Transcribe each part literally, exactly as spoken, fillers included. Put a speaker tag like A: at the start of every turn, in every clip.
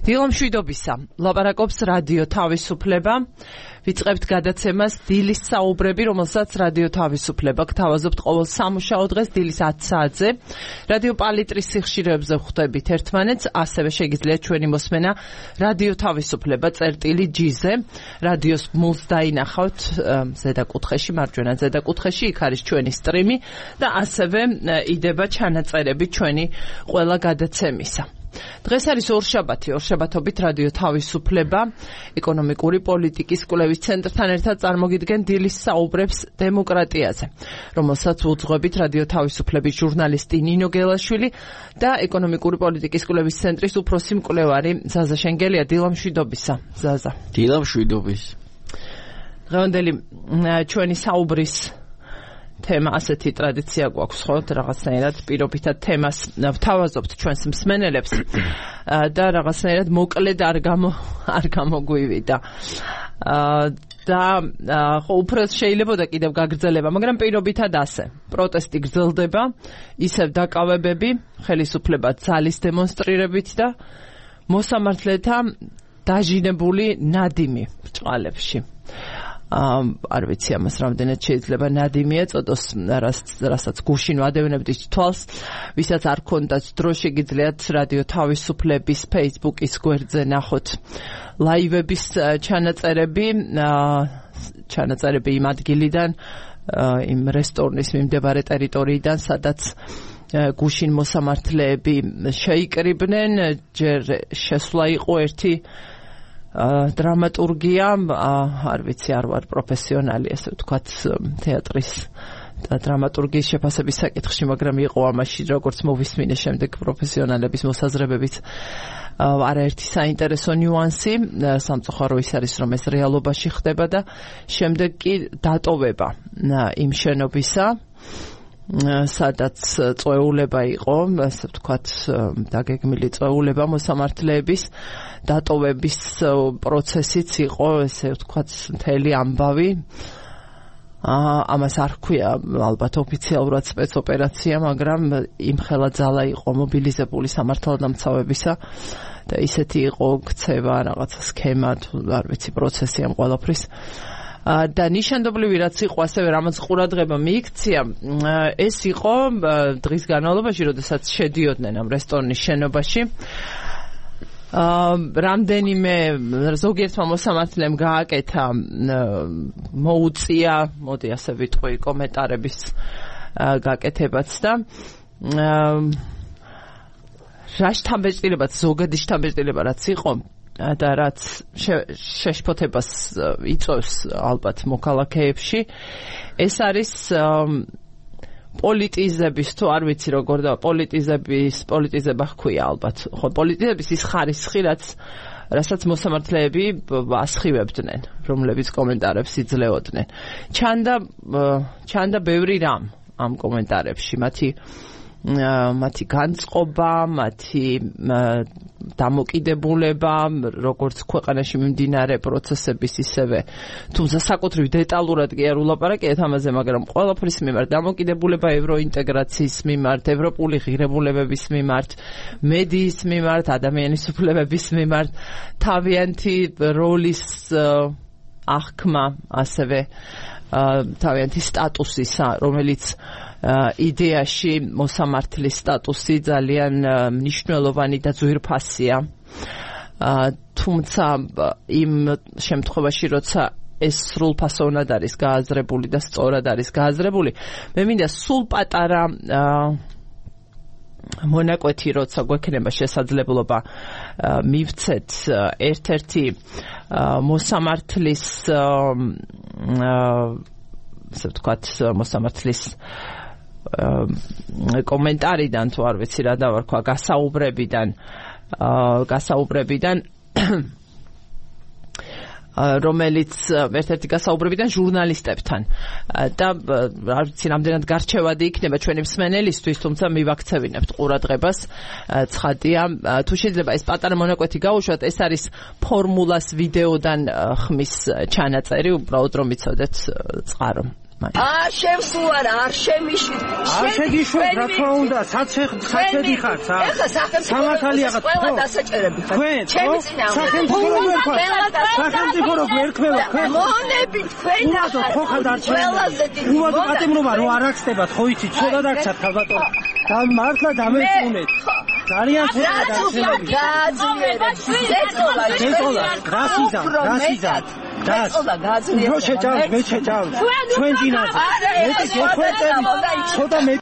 A: დილამშვიდობისა, ლაპარაკობს რადიო თავისუფლება. ვიწყებთ გადაცემას დილის საუბრები, რომელსაც რადიო თავისუფლება გთავაზობთ ყოველ სამუშაო დღეს დილის ათი საათზე. რადიო პალიტრის სიხშირეებზე ხვდებით ერთმანეთს, ასევე შეგიძლიათ ჩვენი მოსმენა რადიო თავისუფლება წერტილი ჯი-ზე. რადიოს მულს დაინახავთ ზედა კუთხეში, მარჯვენა ზედა კუთხეში, იქ არის ჩვენი სტრიმი და ასევე იდება ჩანაწერები ჩვენი ყველა გადაცემისა. დღეს არის ორშაბათი, ორშაბათობით რადიო თავისუფლება ეკონომიკური პოლიტიკის კვლევის ცენტრთან ერთად წარმოგიდგენ დილის საუბრებს დემოკრატიაზე, რომელსაც უძღვებით რადიო თავისუფლების ჟურნალისტი ნინო გელაშვილი და ეკონომიკური პოლიტიკის კვლევის ცენტრის უფროსი მკვლევარი ზაზა შენგელია. დილამშვიდობისა, ზაზა.
B: დილამშვიდობის.
A: დღევანდელი ჩვენი საუბრის თემა ასეთი ტრადიცია გვაქვს, ხო, რაღაცნაირად პირობითად თემას ვთავაზობთ ჩვენს მსმენელებს და რაღაცნაირად მოკლედ არ გამო არ გამოგვივიდა. და ხო, უფრო შეიძლება და კიდევ გაგრძელება, მაგრამ პირობითად ასე. პროტესტი გრძელდება, ისევ დაკავებები, ხელისუფლება ძალის დემონსტრირებით და მოსამართლეთა დაჟინებული ნადიმი ბრჭყალებში. არ ვიცი ამას რამდენად შეიძლება ნადიმი ეწოდოს, რასაც გუშინ ვადევნებდით თვალს, ვისაც არ ქონდათ დრო, შეგიძლიათ რადიო თავისუფლების Facebook-ის გვერდზე ნახოთ ლაივების ჩანაწერები, ჩანაწერები იმ ადგილიდან, იმ რესტორნის მიმდებარე ტერიტორიიდან, სადაც გუშინ მოსამართლეები შეიკრიბნენ, ჯერ შესვლა იყო ერთი დრამატურგია, არ ვიცი, არ ვარ პროფესიონალი, ასე ვთქვათ, თეატრის და დრამატურგიის შეფასების საკითხში, მაგრამ იყო ამაში, როგორც მოვისმინე შემდეგ პროფესიონალების მოსაზრებებით, არაერთი საინტერესო ნიუანსი. სამწუხარო ის არის, რომ ეს რეალობაში ხდება და შემდეგ კი დატოვება იმ შენობისა, სადაც წვეულება იყო, ასე ვთქვათ, დაგეგმილი წვეულება მოსამართლეების დატოვების პროცესიც იყო, ესე ვთქვათ, მთელი ამბავი. ამას არ ჰქვია ალბათ ოფიციალურად სპეცოპერაცია, მაგრამ იმხელა ძალა იყო მობილიზებული სამართალდამცავებისა და ისეთი იყო ქცევა, რაღაცა სქემა, არ ვიცი, პროცესი ამ ყველაფრის. და ნიშანდობლივი რაც იყო, ასევე რამაც ყურადღება მიიქცია, ეს იყო დღის განმავლობაში, როდესაც შედიოდნენ ამ რესტორნის შენობაში. რამდენიმე ზოგიერთმა მოსამართლემ გააკეთა, მოუწია, მოდი ასე ვიტყვი, კომენტარების გაკეთებაც და რა შთაბეჭდილებაც, ზოგადი შთაბეჭდილება რაც იყო და რაც შეშფოთებას იწვევს ალბათ მოქალაქეებში, ეს არის პოლიტიზების, თუ არ ვიცი როგორ და პოლიტიზების, პოლიტიზება ჰქვია ალბათ, ხო, პოლიტიზების ის ხარისხი, რაც რასაც მოსამართლეები ასხივებდნენ, რომლებიც კომენტარებს იძლეოდნენ. ჩანდა ჩანდა ბევრი რამ ამ კომენტარებში, მათი მათი განწყობა, მათი დამოკიდებულება, როგორც ქვეყანაში მიმდინარე პროცესების, ისევე, თუმცა საკუთრივ დეტალურად კი არ ულაპარაკეთ ამაზე, მაგრამ ყველაფრის მიმართ, დამოკიდებულება ევროინტეგრაციის მიმართ, ევროპული ღირებულებების მიმართ, მედიის მიმართ, ადამიანის უფლებების მიმართ, თავიანთი როლის აღქმა, ასევე თავიანთი სტატუსისა, რომელიც იდეაში მოსამართლის სტატუსი ძალიან მნიშვნელოვანი და ძვირფასია. თუმცა იმ შემთხვევაში, როცა ეს სრულფასოვნად არის გააზრებული და სწორად არის გააზრებული, მე მინდა სულ პატარა მონაკვეთი, როცა გვექნება შესაძლებლობა მივცეთ ერთ-ერთი მოსამართლის, ასე ვთქვათ, მოსამართლის კომენტარიდან, თუ არ ვიცი რა დავარქვა, გასაუბრებიდან, გასაუბრებიდან, რომელიც ერთ-ერთი გასაუბრებიდან ჟურნალისტებთან და არ ვიცი რამდენად გარჩევადი იქნება ჩვენი მსმენელისთვის, თუმცა მივაქცევინებთ ყურადღებას. ცხადია, თუ შეიძლება ეს პატარა მონაკვეთი გაუშვათ, ეს არის ფორმულას ვიდეოდან ხმის ჩანაწერი, უბრალოდ რომ იცოდეთ წყარო.
B: არ შემსუარ, არ შემიშვით.
C: არ შეგიშვით, რა თქმა უნდა, საცე საჭედი ხარ, სა.
B: ეხლა სახელმწიფო ყველა დასაჭერები ხარ. ჩემი წინა.
C: სახელმწიფო რო გვერქვა. სახელმწიფო რო გვერქვა, თქვენ.
B: მონები თქვენ
C: ახლა ხო ხარ
B: ყველაზე დიდი.
C: უბრალოდ პატიმრობა რო არ აქცდებათ, ხო იცით, ცოტა დაგცათ ხალბატონო. და მართლა დამეწუნეთ. ძალიან ცოტა დაგცემები.
B: გააძლიერეთ.
C: ზეწოლა, გასიზა, გასიზა.
B: ზეწოლა გააძლიერეთ.
C: რო შეჭავს, მე შეჭავს. ჩვენ ძინაზე. მეტი გეხვეწები. ცოტა მე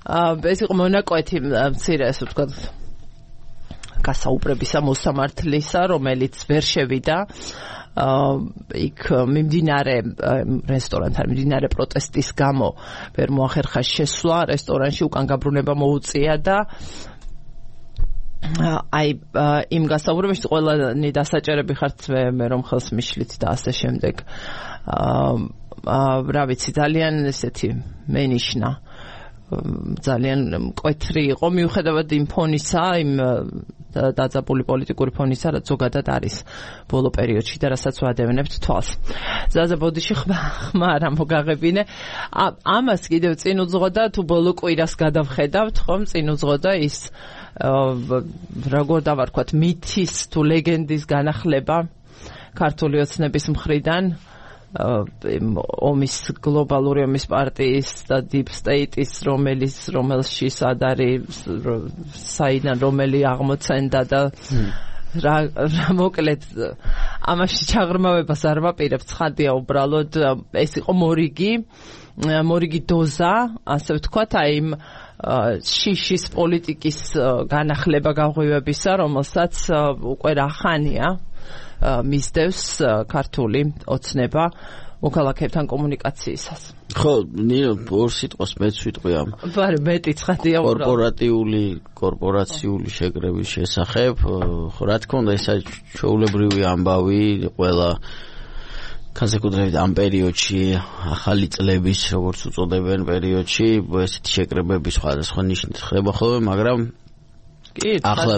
A: აა ეს იყო მონაკვეთი მცირე ასე ვთქვათ გასაუბრებისა მოსამართლისა, რომელიც ვერ შევიდა აა იქ მიმდინარე რესტორანთან მიმდინარე პროტესტის გამო ვერ მოახერხა შესვლა რესტორანში, უკან გაბრუნება მოუწია და აი იმ გასაუბრებაში ყველანი დასაჭერები ხართ მე მე რომ ხელს მიშლით და ასე შემდეგ აა რა ვიცი ძალიან ესეთი მენიშნა ძალიან მკვეთრი იყო მიუხედავად იმ ფონისა იმ დაძაბული პოლიტიკური ფონისა რაც ზოგადად არის ბოლო პერიოდში და რასაც ვადევნებთ თვალს ზაზა ბოდიში ხმარ ამ მოგაღებინე ამას კიდევ წინ უძღოდა თუ ბოლო კვირას გადავხედავთ ხომ წინ უძღოდა ის როგორ დავარქვათ მითის თუ ლეგენდის განახლება ქართული ოცნების მხრიდან ომის გლობალური ომის პარტიის და deep state-ის რომელიც რომელში სად არის საიდან რომელი აღმოცენდა და რა მოკლედ ამაში ჩაღრმავებას არ ვაპირებ ცხადია უბრალოდ ეს იყო მორიგი მორიგი დოზა ასე ვთქვათ აი იმ შიშის პოლიტიკის განახლება გაღვივებისა რომელსაც უკვე რა ხანია მისდევს ქართული ოცნება მოქალაქეებთან კომუნიკაციისას.
D: ხო, ნინო, ორ სიტყვას მეც ვიტყვი ამ.
A: ბარე, მეტი ცხადია უბრალოდ.
D: კორპორატიული, კორპორაციული შეკრების შესახებ, ხო, რა თქმა უნდა, ეს ჩვეულებრივი ამბავი ყველა განსაკუთრებით ამ პერიოდში, ახალი წლების, როგორც უწოდებენ პერიოდში, ესეთი შეკრებები სხვადასხვა ნიშნით ხდება ხოლმე, მაგრამ ახლა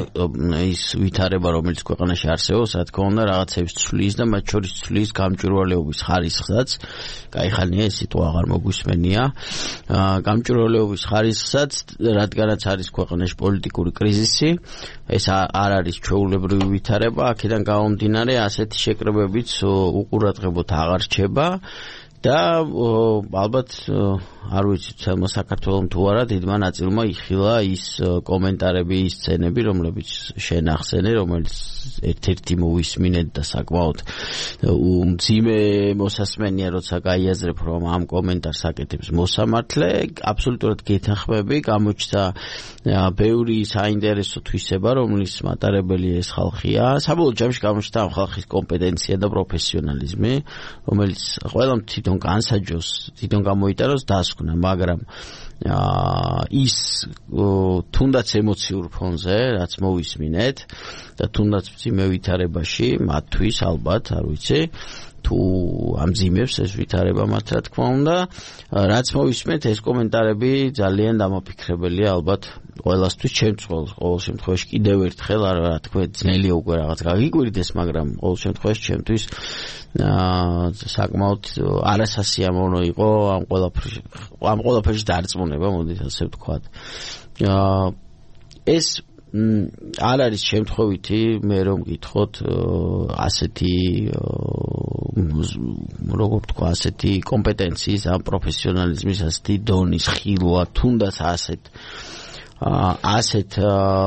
D: ის ვითარება რომელიც ქვეყანაში არსებობს, რა თქმა უნდა, რაღაცებს ცვლის და მათ შორის ცვლის გამჭვირვალეობის ხარისხსაც. კაიხანია ეს სიტყვა აღარ მოგვისმენია. გამჭვირვალეობის ხარისხსაც, რადგანაც არის ქვეყანაში პოლიტიკური კრიზისი, ეს არ არის ჩვეულებრივი ვითარება, აქედან გამომდინარე ასეთი შეკრებებიც უყურადღებოდ აღარ რჩება. და ალბათ არ ვიცი თელმა საქართველოს თუ არა დიდმა ნაწილმა იხილა ის კომენტარები ის სცენები რომლებიც შენ ახსენე რომელიც ერთ-ერთი მოვისმინეთ და საკმაოდ უმძიმე მოსასმენია როცა გაიაზრებ რომ ამ კომენტარს აკეთებს მოსამართლე აბსოლუტურად გეთანხმები გამოჩნდა ბევრი საინტერესო თვისება რომლის მატარებელი ეს ხალხია საბოლოო ჯამში გამოჩნდა ამ ხალხის კომპეტენცია და პროფესიონალიზმი რომელიც ყველამ თვითონ განსაჯოს თვითონ გამოიტაროს დასკვნა მაგრამ ის თუნდაც ემოციურ ფონზე რაც მოვისმინეთ და თუნდაც მძიმე ვითარებაში მათთვის ალბათ არ ვიცი თუ ამძიმებს ეს ვითარება მათ რა თქმა უნდა რაც მოვისმენთ ეს კომენტარები ძალიან დამაფიქრებელია ალბათ ყველასთვის ჩემს ყოველ შემთხვევაში კიდევ ერთხელ რა თქმა ძნელია უკვე რაღაც გაგიკვირდეს მაგრამ ყოველ შემთხვევაში ჩემთვის საკმაოდ არასასიამოვნო იყო ამ ყველაფერში ამ ყველაფერში დარწმუნება მოდით ასე ვთქვათ ეს არ არის შემთხვევითი მე რომ გითხოთ ასეთი როგორ ვთქვა ასეთი კომპეტენციის ამ პროფესიონალიზმის ასეთი დონის ხილვა თუნდაც ასეთ ასეთ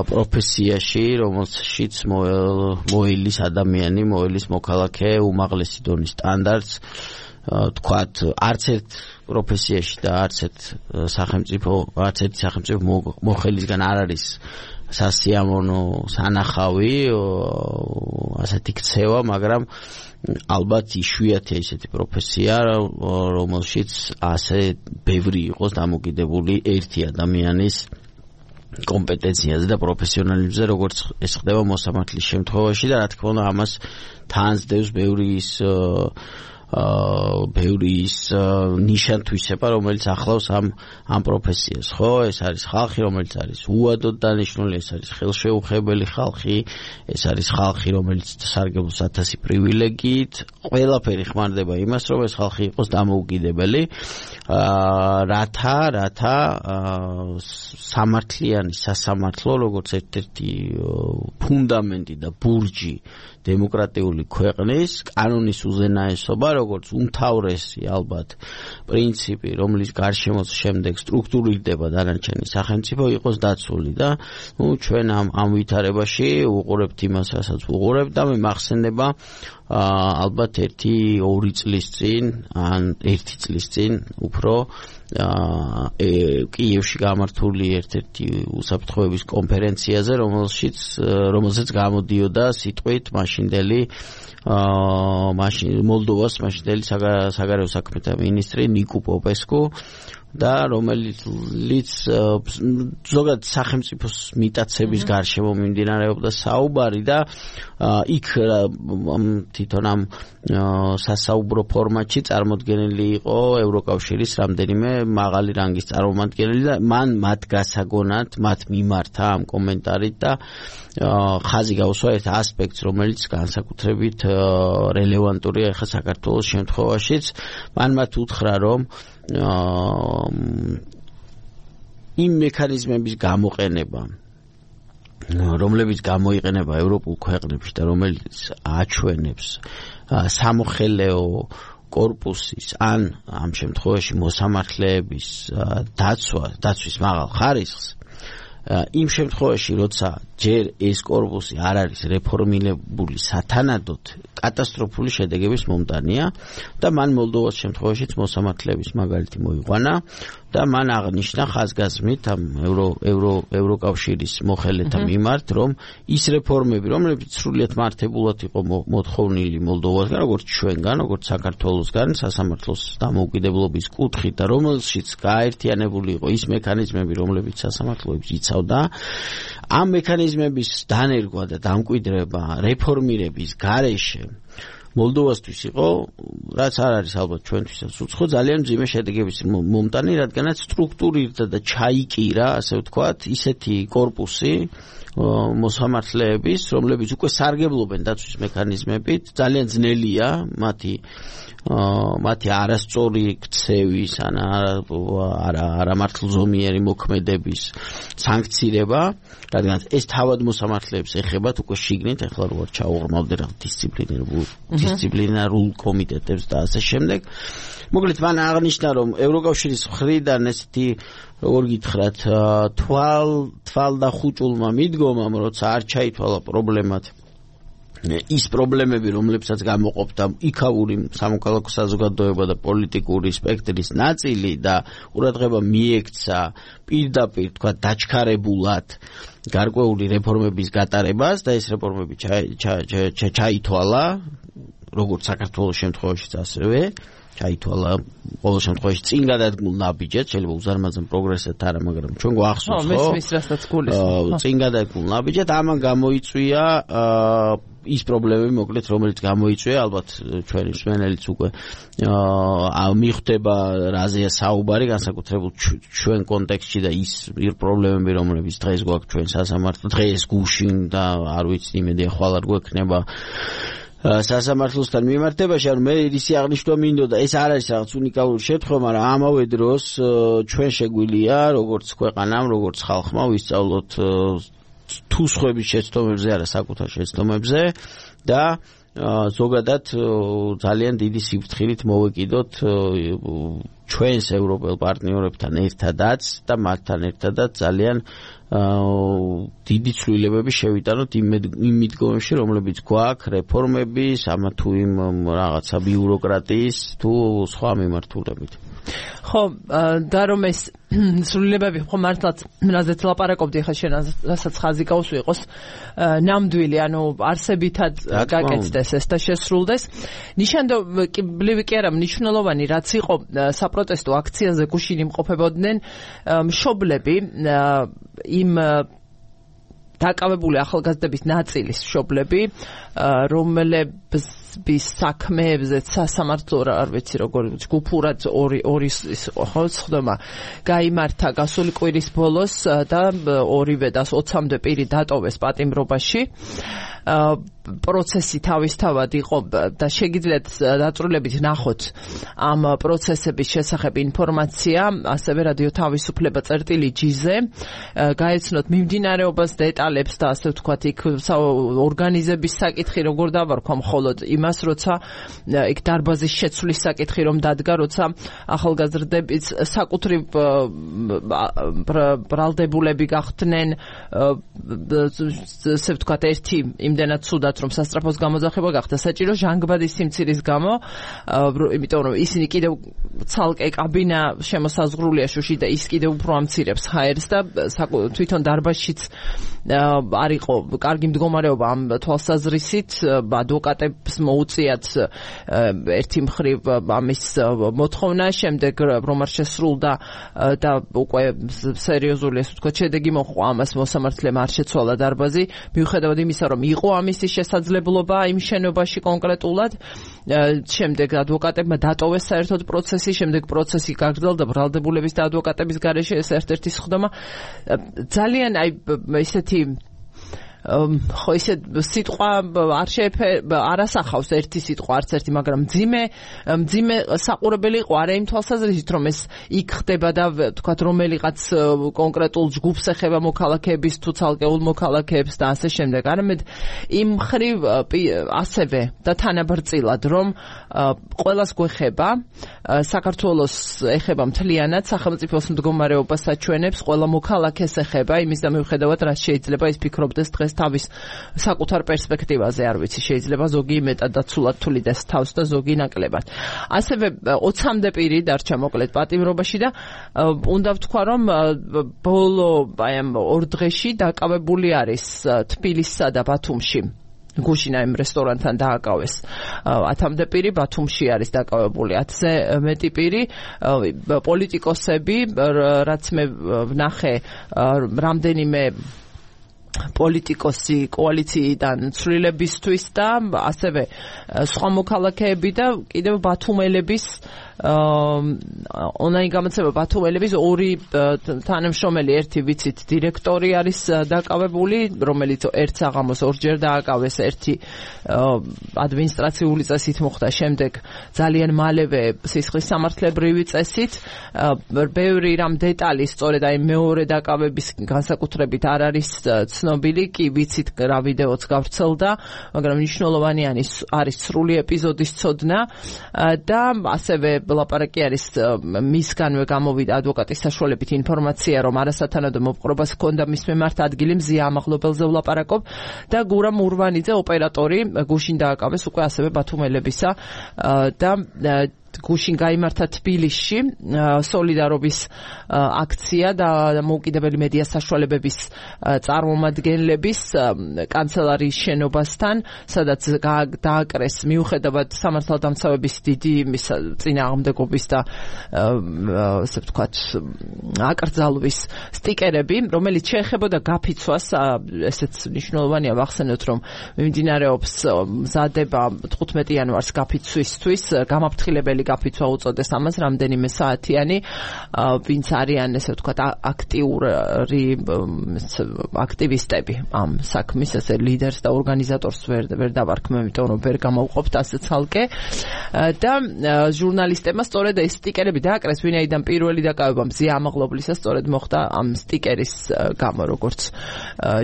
D: პროფესიაში რომელშიც მოელის ადამიანი მოელის მოქალაქე უმაღლესი დონის სტანდარტს თქვათ არც ერთ პროფესიაში და არც ერთ სახელმწიფო არც ერთი სახელმწიფო მოხელისგან არ არის სასიამოვნო სანახავი ასეთი ქცევა მაგრამ ალბათ იშვიათია ისეთი პროფესია რომელშიც ასე ბევრი იყოს დამოკიდებული ერთი ადამიანის კომპეტენციაზე და პროფესიონალიზმზე როგორც ეს ხდება მოსამართლის შემთხვევაში და რა თქმა უნდა ამას თან ზდევს ბევრი ის ბევრი ის ნიშან-თვისება, რომელიც ახლავს ამ ამ პროფესიას, ხო? ეს არის ხალხი, რომელიც არის უადოდ დანიშნული, ეს არის ხელშეუხებელი ხალხი, ეს არის ხალხი, რომელიც სარგებლობს ათასი პრივილეგიით, ყველაფერი ხმარდება იმას, რომ ეს ხალხი იყოს დამოუკიდებელი, რათა, რათა სამართლიანი სასამართლო, როგორც ერთ-ერთი ფუნდამენტი და ბურჯი დემოკრატიული ქვეყნის, კანონის უზენაესობა, როგორც უმთავრესი ალბათ პრინციპი, რომლის გარშემოც შემდეგ სტრუქტურირდება დანარჩენი სახელმწიფო, იყოს დაცული და ნუ ჩვენ ამ ამ ვითარებაში უყურებთ იმას, რასაც უყურებთ და მე მახსენდება ალბათ ერთი ორი წლის წინ, ან ერთი წლის წინ უფრო კიევში გამართული ერთ-ერთი უსაფრთხოების კონფერენციაზე, რომელშიც რომელზეც გამოდიოდა სიტყვით მაშინდელი მოლდოვას მაშინდელი საგარეო საქმეთა მინისტრი ნიკო პოპესკუ და რომელიც ზოგადად სახელმწიფოს მიტაცების გარშემო მიმდინარეობდა საუბარი და იქ თვითონ ამ სასაუბრო ფორმატში წარმოდგენილი იყო ევროკავშირის რამდენიმე მაღალი რანგის წარმომადგენელი და მან მათ გასაგონად, მათ მიმართა ამ კომენტარით და ხაზი გაუსვა ერთ ასპექტს, რომელიც განსაკუთრებით რელევანტურია ახლა საქართველოს შემთხვევაშიც. მან მათ უთხრა, რომ იმ მექანიზმების გამოყენება, რომლებიც გამოიყენება ევროპულ ქვეყნებში და რომელიც აჩვენებს სამოხელეო კორპუსის ან ამ შემთხვევაში მოსამართლეების დაცვა, დაცვის მაღალ ხარისხს, იმ შემთხვევაში, როცა ჯერ ეს კორპუსი არ არის რეფორმირებული სათანადოდ, კატასტროფული შედეგების მომტანია და მან მოლდოვას შემთხვევაშიც მოსამართლეების მაგალითი მოიყვანა და მან აღნიშნა ხაზგასმით ამ ევრო ევრო ევროკავშირის მოხელეთა მიმართ, რომ ის რეფორმები, რომლებიც სრულიად მართებულად იყო მოთხოვნილი მოლდოვასგან, როგორც ჩვენგან, როგორც საქართველოსგან, სასამართლოს დამოუკიდებლობის კუთხით და რომელშიც გააერთიანებული იყო ის მექანიზმები, რომლებიც სასამართლოებს იცავდა, ამ მექანიზმების დანერგვა და დამკვიდრება რეფორმირების გარეშე მოლდოვასთვის იყო, რაც არ არის ალბათ ჩვენთვისაც უცხო, ძალიან მძიმე შედეგების მომტანი, რადგანაც სტრუქტურირდა და ჩაიკირა, ასე ვთქვათ, ისეთი კორპუსი მოსამართლეების, რომლებიც უკვე სარგებლობენ დაცვის მექანიზმებით, ძალიან ძნელია მათი მათი არასწორი ქცევის ან არა არამართლზომიერი მოქმედების სანქცირება, რადგან ეს თავად მოსამართლეებს ეხებათ უკვე შიგნით, ეხლა როგორ ჩაუღრმავდნენ რა დისციპლინარულ დისციპლინარულ კომიტეტებს და ასე შემდეგ. მოკლედ მან აღნიშნა, რომ ევროკავშირის მხრიდან ესეთი როგორ გითხრათ, თვალ თვალ და ხუჭულმა მიდგომამ, როცა არ ჩაითვალა პრობლემად ის პრობლემები, რომლებსაც გამოყოფდა იქაური სამოქალაქო საზოგადოება და პოლიტიკური სპექტრის ნაწილი და ყურადღება მიექცა პირდაპირ, თქვა, დაჩქარებულად გარკვეული რეფორმების გატარებას და ეს რეფორმები ჩაითვალა, როგორც საქართველოს შემთხვევაშიც ასევე ჩაითვალა ყოველ შემთხვევაში წინ გადადგმულ ნაბიჯად, შეიძლება უზარმაზარ პროგრესად არა, მაგრამ ჩვენ გვახსოვს, ხო?
A: მის რასაც გულისხმობ.
D: წინ გადადგმულ ნაბიჯად ამან გამოიწვია ის პრობლემები, მოკლედ, რომელიც გამოიწვია, ალბათ ჩვენი მსმენელიც უკვე მიხვდება რაზეა საუბარი, განსაკუთრებულ ჩვენ კონტექსტში და ის პრობლემები, რომლებიც დღეს გვაქვს ჩვენ სასამართლო, დღეს გუშინ და არ ვიცი, იმედია ხვალ არ გვექნება სასამართლოსთან მიმართებაში, ანუ მე ისი აღნიშნვა მინდოდა, ეს არ არის რაღაც უნიკალური შემთხვევა, მაგრამ ამავე დროს ჩვენ შეგვიძლია, როგორც ქვეყანამ, როგორც ხალხმა ვისწავლოთ თუ სხვების შეცდომებზე, არა საკუთარ შეცდომებზე და ზოგადად ძალიან დიდი სიფრთხილით მოვეკიდოთ ჩვენს ევროპელ პარტნიორებთან ერთადაც და მათთან ერთადაც ძალიან დიდი ცვლილებები შევიტანოთ იმ მიდგომებში, რომლებიც გვაქვს რეფორმების, ამა თუ იმ რაღაცა ბიუროკრატიის თუ სხვა მიმართულებით.
A: ხო, და რომ ეს ცვლილებები ხო მართლაც რაზეც ლაპარაკობდი ხა შენ, რასაც ხაზი გაუსვი იყოს ნამდვილი, ანუ არსებითად გაკეთდეს ეს და შესრულდეს. ნიშანდობლივი კი არა, მნიშვნელოვანი რაც იყო საპროტესტო აქციაზე გუშინ იმყოფებოდნენ მშობლები იმ დაკავებული ახალგაზრდების ნაწილის მშობლები, რომლებსაც ბის საქმეებზე სასამართლო არ ვიცი როგორ ჯგუფურად ორი ორი ხო ხდომა გაიმართა გასული კვირის ბოლოს და ორივე და ოცამდე პირი დატოვეს პატიმრობაში პროცესი თავისთავად იყო და შეგიძლიათ დაწვრილებით ნახოთ ამ პროცესების შესახებ ინფორმაცია ასევე რადიო თავისუფლება წერტილი ჯი-ზე გაეცნოთ მიმდინარეობას დეტალებს და ასე ვთქვათ იქ ორგანიზების საკითხი როგორ დავარქვა მხოლოდ იმას როცა იქ დარბაზის შეცვლის საკითხი რომ დადგა როცა ახალგაზრდების საკუთრივ ბრალდებულები გახდნენ ასე ვთქვათ ერთი იმდენად ცუდად რომ სასტრაფოს გამოძახება გახდა საჭირო ჟანგბადის სიმცირის გამო იმიტომ რომ ისინი კიდევ ცალკე კაბინა შემოსაზღვრულია შუში და ის კიდევ უფრო ამცირებს ჰაერს და თვითონ დარბაზშიც არ იყო კარგი მდგომარეობა ამ თვალსაზრისით ადვოკატებს მოუწიათ ერთი მხრივ ამის მოთხოვნა შემდეგ რომ არ შესრულდა და უკვე სერიოზული ასე ვთქვათ შედეგი მოჰყვა ამას მოსამართლემ არ შეცვალა დარბაზი მიუხედავად იმისა რომ იყო ამისი შესაძლებლობა იმ შენობაში კონკრეტულად შემდეგ ადვოკატებმა დატოვეს საერთოდ პროცესი შემდეგ პროცესი გაგრძელდა ბრალდებულების და ადვოკატების გარეშე ეს ერთ-ერთი სხდომა ძალიან აი ესეთი ხო ისე სიტყვა არ შეეფერება არასახავს ერთი სიტყვა არც ერთი მაგრამ მძიმე მძიმე საყურებელი იყო არა იმ თვალსაზრისით რომ ეს იქ ხდება და თქვათ რომელიღაც კონკრეტულ ჯგუფს ეხება მოქალაქეების თუ ცალკეულ მოქალაქეებს და ასე შემდეგ არამედ იმ მხრივ ასევე და თანაბრძილად რომ ყველას გვეხება საქართველოს ეხება მთლიანად სახელმწიფოს მდგომარეობას აჩვენებს ყველა მოქალაქეს ეხება იმის და მიუხედავად რაც შეიძლება ის ფიქრობდეს დღეს თავის საკუთარ პერსპექტივაზე არ ვიცი შეიძლება ზოგი მეტად დაცულად თulides თავს და ზოგი ნაკლებად ასევე ოცამდე პირი დარჩა მოკლედ პატიმრობაში და უნდა ვთქვა რომ ბოლო აი ამ ორ დღეში დაკავებული არის თბილისსა და ბათუმში გუშინა იმ რესტორანთან დააკავეს ათამდე პირი ბათუმში არის დაკავებული ათზე მეტი პირი პოლიტიკოსები რაც მე ვნახე რამდენიმე პოლიტიკოსი კოალიციიდან ცვლილებისთვის და ასევე სხვა მოქალაქეები და კიდევ ბათუმელების ონლაინ გამოცემა ბათუმელების ორი თანამშრომელი ერთი ვიცით დირექტორი არის დაკავებული რომელიც ერთ საღამოს ორჯერ დააკავეს ერთი ადმინისტრაციული წესით მოხდა შემდეგ ძალიან მალევე სისხლის სამართლებრივი წესით ბევრი რამ დეტალი სწორედ აი მეორე დაკავების განსაკუთრებით არ არის ცნობილი კი ვიცით რა ვიდეოც გავრცელდა მაგრამ მნიშვნელოვანი არის სრული ეპიზოდის ცოდნა და ასევე ლაპარაკი არის მისგანვე გამოვიდა ადვოკატის საშუალებით ინფორმაცია რომ არასათანადო მოპყრობას ჰქონდა მის მიმართ ადგილი მზია ამაღლობელზე ვლაპარაკობ და გურამ ურვანიძე ოპერატორი გუშინ დააკავეს უკვე ასევე ბათუმელებისა და გუშინ გაიმართა თბილისში სოლიდარობის აქცია და მოუკიდებელი მედია საშუალებების წარმომადგენლების კანცელარიის შენობასთან, სადაც დააკრეს მიუხედავად სამართალდამცავების დიდი წინააღმდეგობის და ასე ვთქვათ აკრძალვის სტიკერები, რომელიც შეეხებოდა გაფიცვას, ესეც მნიშვნელოვანია ვახსენოთ, რომ მიმდინარეობს მზადება თხუთმეტი იანვარს გაფიცვისთვის, გამაფრთხილებელი გაფიცვა უწოდეს ამას რამდენიმე საათიანი ვინც არიან ესე ვთქვათ აქტიური აქტივისტები ამ საქმის ესე ლიდერს და ორგანიზატორს ვერ ვერ დავარქმევ იმიტომ რომ ვერ გამოვყოფთ ასე ცალკე და ჟურნალისტებმა სწორედ ეს სტიკერები დააკრეს ვინაიდან პირველი დაკავება მზია ამაღლობლისა სწორედ მოხდა ამ სტიკერის გამო როგორც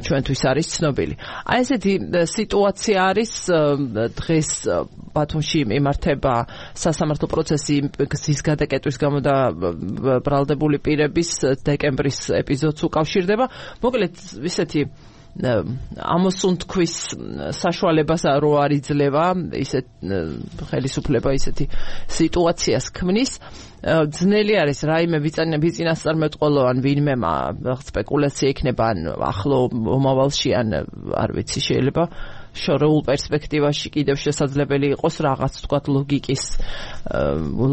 A: ჩვენთვის არის ცნობილი აი ესეთი სიტუაცია არის დღეს ბათუმში იმართება სასამართლო პროცესი გზის გადაკეტვის გამო და ბრალდებული პირების დეკემბრის ეპიზოდს უკავშირდება. მოკლედ ისეთი ამოსუნთქვის საშუალებას რო არ იძლევა ისეთ ხელისუფლება ისეთი სიტუაციას ქმნის. ძნელი არის რაიმე ვიწინასწარმეტყველო ან ვინმე სპეკულაცია იქნება ან ახლო მომავალში ან არ ვიცი შეიძლება შორეულ პერსპექტივაში კიდევ შესაძლებელი იყოს რაღაც თქვა ლოგიკის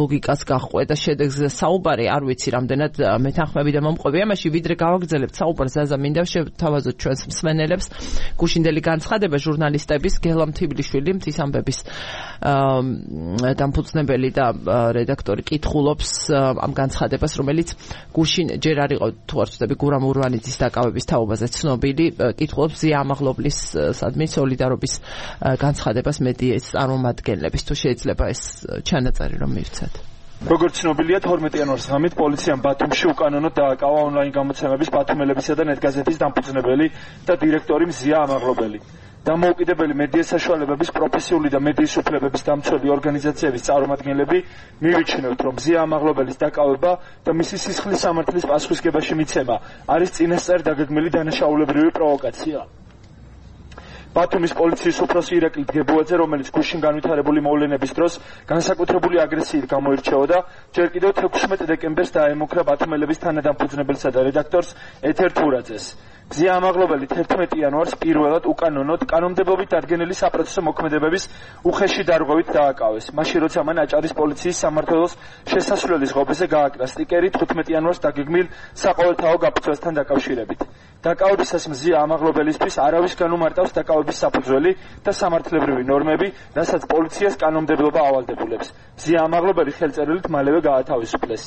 A: ლოგიკას გახვედა შედეგზე საუბარი, არ ვიცი რამდენად მეთანხმები და მომყვები ამაში, ვიდრე გავაგრძელებთ საუბარს, ზაზა მინდა შევთავაზოთ ჩვენს მსმენელებს გუშინდელი განცხადება ჟურნალისტების გელამ თიბლიშვილი მთის ამბების დამფუძნებელი და რედაქტორი კითხულობს ამ განცხადებას, რომელიც გუშინ ჯერ არ იყო თუ არ ვცდები გურამ ურვანიძის დაკავების თაობაზე ცნობილი, კითხულობს ზია ამაღლობლის სადმი სოლიდარობის განცხადებას მედიის წარმომადგენლების, თუ შეიძლება ეს ჩანაწერი რომ მივცეთ.
E: როგორც ცნობილია, თორმეტი იანვარის ღამით პოლიციამ ბათუმში უკანონოდ დააკავა ონლაინ გამოცემების ბათუმელებისა და ნეტგაზეთის დამფუძნებელი და დირექტორი მზია ამაღლობელი. დამოუკიდებელი მედია საშუალებების პროფესიული და მედიის უფლებების დამცველი ორგანიზაციების წარმომადგენლები მივიჩნევთ, რომ მზია ამაღლობელის დაკავება და მისი სისხლის სამართლის პასუხისგებაში მიცემა არის წინასწარ დაგეგმილი დანაშაულებრივი პროვოკაცია. ბათუმის პოლიციის უფროსი ირაკლი დგებუაძე, რომელიც გუშინ განვითარებული მოვლენების დროს განსაკუთრებული აგრესიით გამოირჩეოდა, ჯერ კიდევ თექვსმეტ დეკემბერს დაემუქრა ბათუმელების თანადამფუძნებელსა და რედაქტორს ეთერ თურაძეს. მზია ამაღლობელი თერთმეტი იანვარს პირველად უკანონოდ კანონმდებლობით დადგენილი საპროცესო მოქმედებების უხეში დარღვევით დააკავეს. მაშინ როცა მან აჭარის პოლიციის სამმართველოს შესასვლელის ღობეზე გააკრა სტიკერი თხუთმეტი იანვარს დაგეგმილ საყოველთაო გაფრთხილებასთან დაკავშირებით. დაკავებისას მზია ამაღლობელისთვის არავის განუმარტავს დაკავების საფუძველი და სამართლებრივი ნორმები, რასაც პოლიციას კანონმდებლობა ავალდებულებს. მზია ამაღლობელი ხელწერილით მალევე გაათავისუფლეს.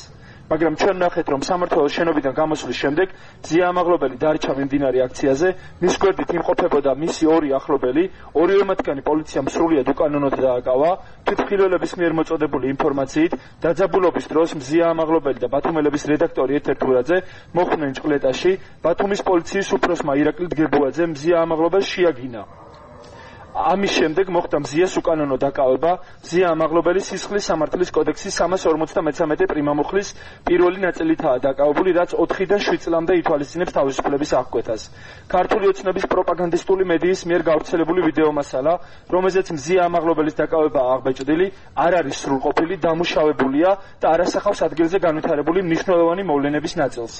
E: მაგრამ ჩვენ ნახეთ, რომ სამმართველოს შენობიდან გამოსვლის შემდეგ მზია ამაღლობელი დარჩა მიმდინარე აქციაზე, მის გვერდით იმყოფებოდა მისი ორი ახლობელი, ორივე მათგანი პოლიციამ სრულიად უკანონოდ დააკავა, თვითმხილველების მიერ მოწოდებული ინფორმაციით, დაძაბულობის დროს მზია ამაღლობელი და ბათუმელების რედაქტორი ეთერ თურაძე მოხვდნენ ჭყლეტაში, ბათუმის პოლიციის უფროსმა ირაკლი დგებუაძემ მზია ამაღლობელს შეაგინა. ამის შემდეგ მოხდა მზიას უკანონო დაკავება, მზია ამაღლობელი სისხლის სამართლის კოდექსის სამას ორმოცდამეცამეტე პრიმამუხლის პირველი ნაწილითაა დაკავებული, რაც ოთხიდან შვიდ წლამდე ითვალისწინებს თავისუფლების აღკვეთას. ქართული ოცნების პროპაგანდისტული მედიის მიერ გავრცელებული ვიდეო მასალა, რომელზეც მზია ამაღლობელის დაკავებაა აღბეჭდილი, არ არის სრულყოფილი, დამუშავებულია და არ ასახავს ადგილზე განვითარებული მნიშვნელოვანი მოვლენების ნაწილს.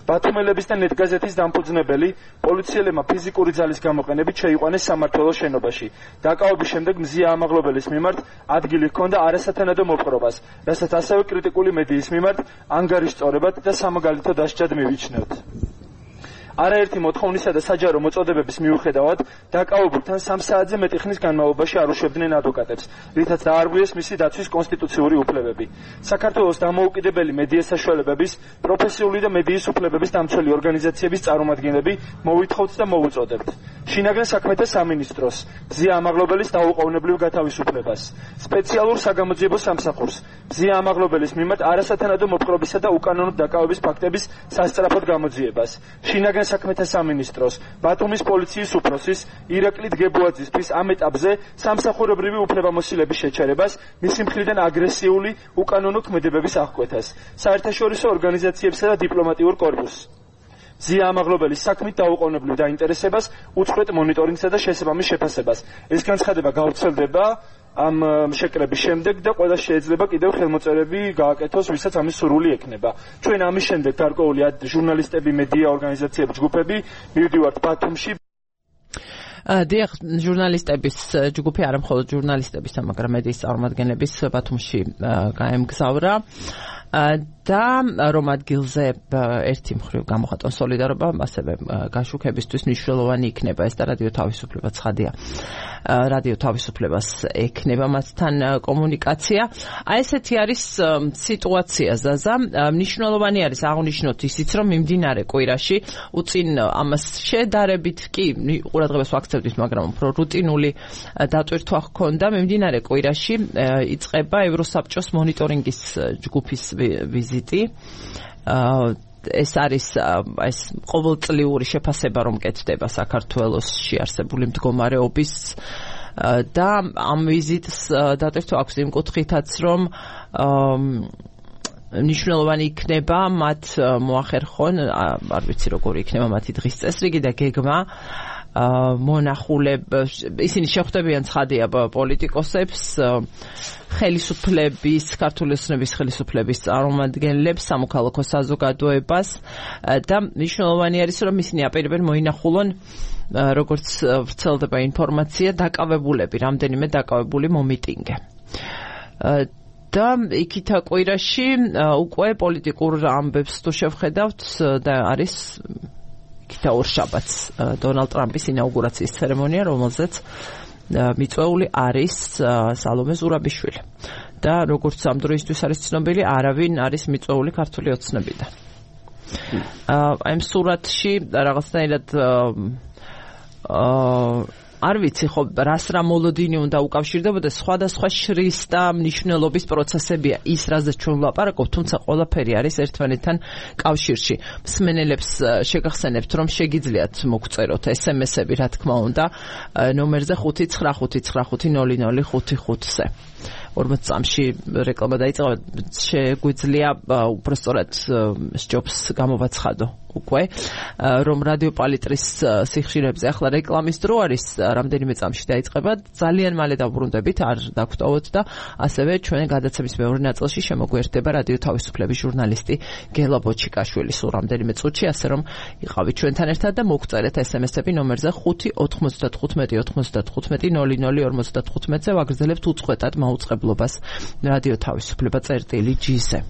E: ბათუმელების და ნეტგაზეთის დამფუძნებელი პოლიციელებმა ფიზიკური ძალის გამოყენებით შეიყვანეს სამმართველოს შენობაში. დაკავების შემდეგ მზია ამაღლობელის მიმართ ადგილი ჰქონდა არასათანადო მოპყრობას, რასაც ასევე კრიტიკული მედიის მიმართ ანგარიშწორებად და სამაგალითო დასჯად მივიჩნევთ. არაერთი მოთხოვნისა და საჯარო მოწოდებების მიუხედავად დაკავებულთან სამ საათზე მეტი ხნის განმავლობაში არ უშვებდნენ ადვოკატებს, რითაც დაარღვიეს მისი დაცვის კონსტიტუციური უფლებები. საქართველოს დამოუკიდებელი მედია საშუალებების, პროფესიული და მედიის უფლებების დამცველი ორგანიზაციების წარმომადგენლები მოვითხოვთ და მოუწოდებთ შინაგან საქმეთა სამინისტროს მზია ამაღლობელის დაუყოვნებლივ გათავისუფლებას, სპეციალურ საგამოძიებო სამსახურს მზია ამაღლობელის მიმართ არასათანადო მოპყრობისა და უკანონო დაკავების ფაქტების სასწრაფოდ გამოძიებას, შინაგან საქმეთა სამინისტროს, ბათუმის პოლიციის უფროსის ირაკლი დგებუაძისთვის ამ ეტაპზე სამსახურებრივი უფლებამოსილების შეჩერებას, მისი მხრიდან აგრესიული უკანონო ქმედებების აღკვეთას, საერთაშორისო ორგანიზაციებსა და დიპლომატიურ კორპუსს. მზია ამაღლობელის საქმით დაუყოვნებლივ დაინტერესებას, უწყვეტ მონიტორინგსა და შესაბამის შეფასებას. ეს განცხადება გავრცელდება ამ შეკრების შემდეგ და ყველა შეიძლება კიდევ ხელმოწერები გააკეთოს, ვისაც ამის სურვილი ექნება. ჩვენ ამის შემდეგ გარკვეული ჟურნალისტები, მედია ორგანიზაციები, ჯგუფები მივდივართ ბათუმში.
A: დიახ, ჟურნალისტების ჯგუფი არა მხოლოდ ჟურნალისტების, მაგრამ მედიის წარმომადგენლების ბათუმში გაემგზავრა. და რომ ადგილზე ერთი მხრივ გამოხატონ სოლიდარობა, ასევე გაშუქებისთვის მნიშვნელოვანი იქნება ეს და რადიო თავისუფლება ცხადია. რადიო თავისუფლებას ექნება მასთან კომუნიკაცია. აი ესეთი არის სიტუაცია, ზაზა. მნიშვნელოვანი არის აღნიშნოთ ისიც, რომ მიმდინარე კვირაში უწინ ამას შედარებით კი ყურადღებას ვაქცევდით, მაგრამ უფრო რუტინული დატვირთვა ჰქონდა. მიმდინარე კვირაში იწყება ევროსაბჭოს მონიტორინგის ჯგუფის ვიზიტი. ეს არის ეს ყოველწლიური შეფასება, რომ კეთდება საქართველოში არსებული მდგომარეობის და ამ ვიზიტს დატვირთვა აქვს იმ კუთხითაც, რომ მნიშვნელოვანი იქნება მათ მოახერხონ, არ ვიცი როგორი იქნება მათი დღის წესრიგი და გეგმა მონახულებ ისინი შეხვდებიან ცხადია პოლიტიკოსებს, ხელისუფლების, ქართული ოცნების ხელისუფლების წარმომადგენლებს, სამოქალაქო საზოგადოებას და მნიშვნელოვანი არის, რომ ისინი აპირებენ მოინახულონ როგორც ვრცელდება ინფორმაცია, დაკავებულები, რამდენიმე დაკავებული მომიტინგე. და იქითა კვირაში უკვე პოლიტიკურ ამბებს თუ შევხედავთ და არის იქითა ორშაბათს დონალდ ტრამპის ინაუგურაციის ცერემონია, რომელზეც მიწვეული არის სალომე ზურაბიშვილი. და როგორც ამ დროისთვის არის ცნობილი, არავინ არის მიწვეული ქართული ოცნებიდან. აი ამ სურათში რაღაცნაირად აა არ ვიცი ხო რას რა მოლოდინი უნდა უკავშირდებოდეს სხვადასხვა შრის და მნიშვნელობის პროცესებია ის რაზეც ჩვენ ვლაპარაკობთ თუმცა ყველაფერი არის ერთმანეთთან კავშირში მსმენელებს შეგახსენებთ რომ შეგიძლიათ მოგწეროთ ესემესები რა თქმა უნდა ნომერზე ხუთი ცხრა ხუთი ცხრა ხუთი ნული ნული ხუთი ხუთზე ორმოც წამში რეკლამა დაიწყება შეგვიძლია უпростоრად სჯობს გამოვაცხადო უკვე რომ რადიო პალიტრის სიხშირებზე ახლა რეკლამის დრო არის რამდენიმე წამში დაიწყება ძალიან მალე დავბრუნდებით არ დაგვტოვოთ და ასევე ჩვენ გადაცემის მეორე ნაწილში შემოგვიერთდება რადიო თავისუფლების ჟურნალისტი გელა ბოჩიკაშვილი სულ რამდენიმე წუთში ასე რომ იყავით ჩვენთან ერთად და მოგწერეთ ესემესები ნომერზე ხუთი ოთხმოცდათხუთმეტი ოთხმოცდათხუთმეტი ნული ნული ორმოცდათხუთმეტზე ვაგრძელებთ უწყვეტად მაუწყებლობას რადიო თავისუფლება წერტილი ჯიზე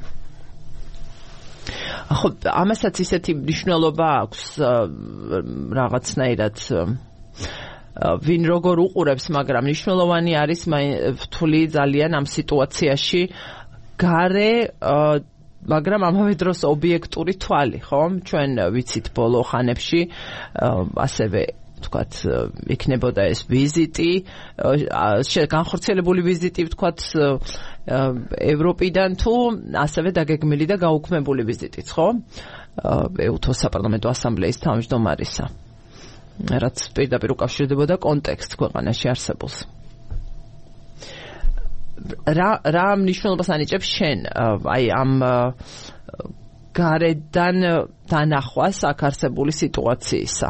A: ხო ამასაც ისეთი მნიშვნელობა აქვს რაღაცნაირად ვინ როგორ უყურებს მაგრამ მნიშვნელოვანი არის ვთვლი ძალიან ამ სიტუაციაში გარე მაგრამ ამავე დროს ობიექტური თვალი ხო ჩვენ ვიცით ბოლო ხანებში ასევე ვთქვათ იქნებოდა ეს ვიზიტი განხორციელებული ვიზიტი ვთქვათ ევროპიდან თუ ასევე დაგეგმილი და გაუქმებული ვიზიტიც ხო ეუთოს საპარლამენტო ასამბლეის თავმჯდომარისა რაც პირდაპირ უკავშირდებოდა კონტექსტს ქვეყანაში არსებულს რა რა მნიშვნელობას ანიჭებს შენ აი ამ გარედან დანახვას აქ არსებული სიტუაციისა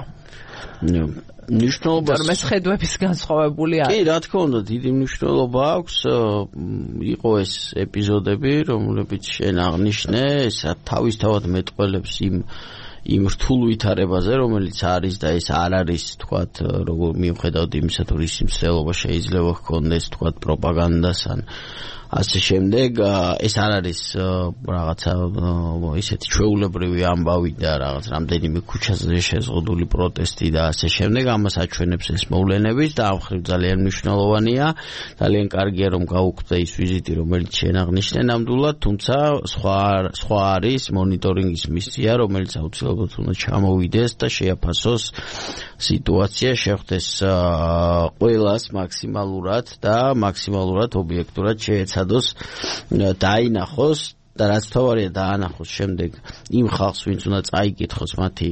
A: მნიშვნელობას რომ ეს ხედვების განსხვავებული არის. კი, რა თქმა უნდა, დიდი მნიშვნელობა აქვს. იყო ეს ეპიზოდები, რომლებიც შენ აღნიშნე, ეს თავისთავად მეტყველებს იმ იმ რთულ ვითარებაზე, რომელიც არის და ეს არ არის, თქვათ, როგორ მიუხედავად იმისა, თუ რის მსვლელობა შეიძლება ჰქონდეს, თქვათ, პროპაგანდას ან ასე შემდეგ ეს არ არის რაღაცა ისეთი ჩვეულებრივი ამბავი და რაღაც რამდენიმე ქუჩაზე შეზღუდული პროტესტი და ასე შემდეგ ამას აჩვენებს ეს მოვლენების და ამ ხრივ ძალიან მნიშვნელოვანია ძალიან კარგია რომ გაუქმდა ის ვიზიტი რომელიც შენ აღნიშნე ნამდვილად თუმცა სხვა სხვა არის მონიტორინგის მისია რომელიც აუცილებლად უნდა ჩამოვიდეს და შეაფასოს სიტუაცია შეხვდეს ყველას მაქსიმალურად და მაქსიმალურად ობიექტურად შეეცადოს დაინახოს და რაც თავარია დაანახოს შემდეგ იმ ხალხს ვინც უნდა წაიკითხოს მათი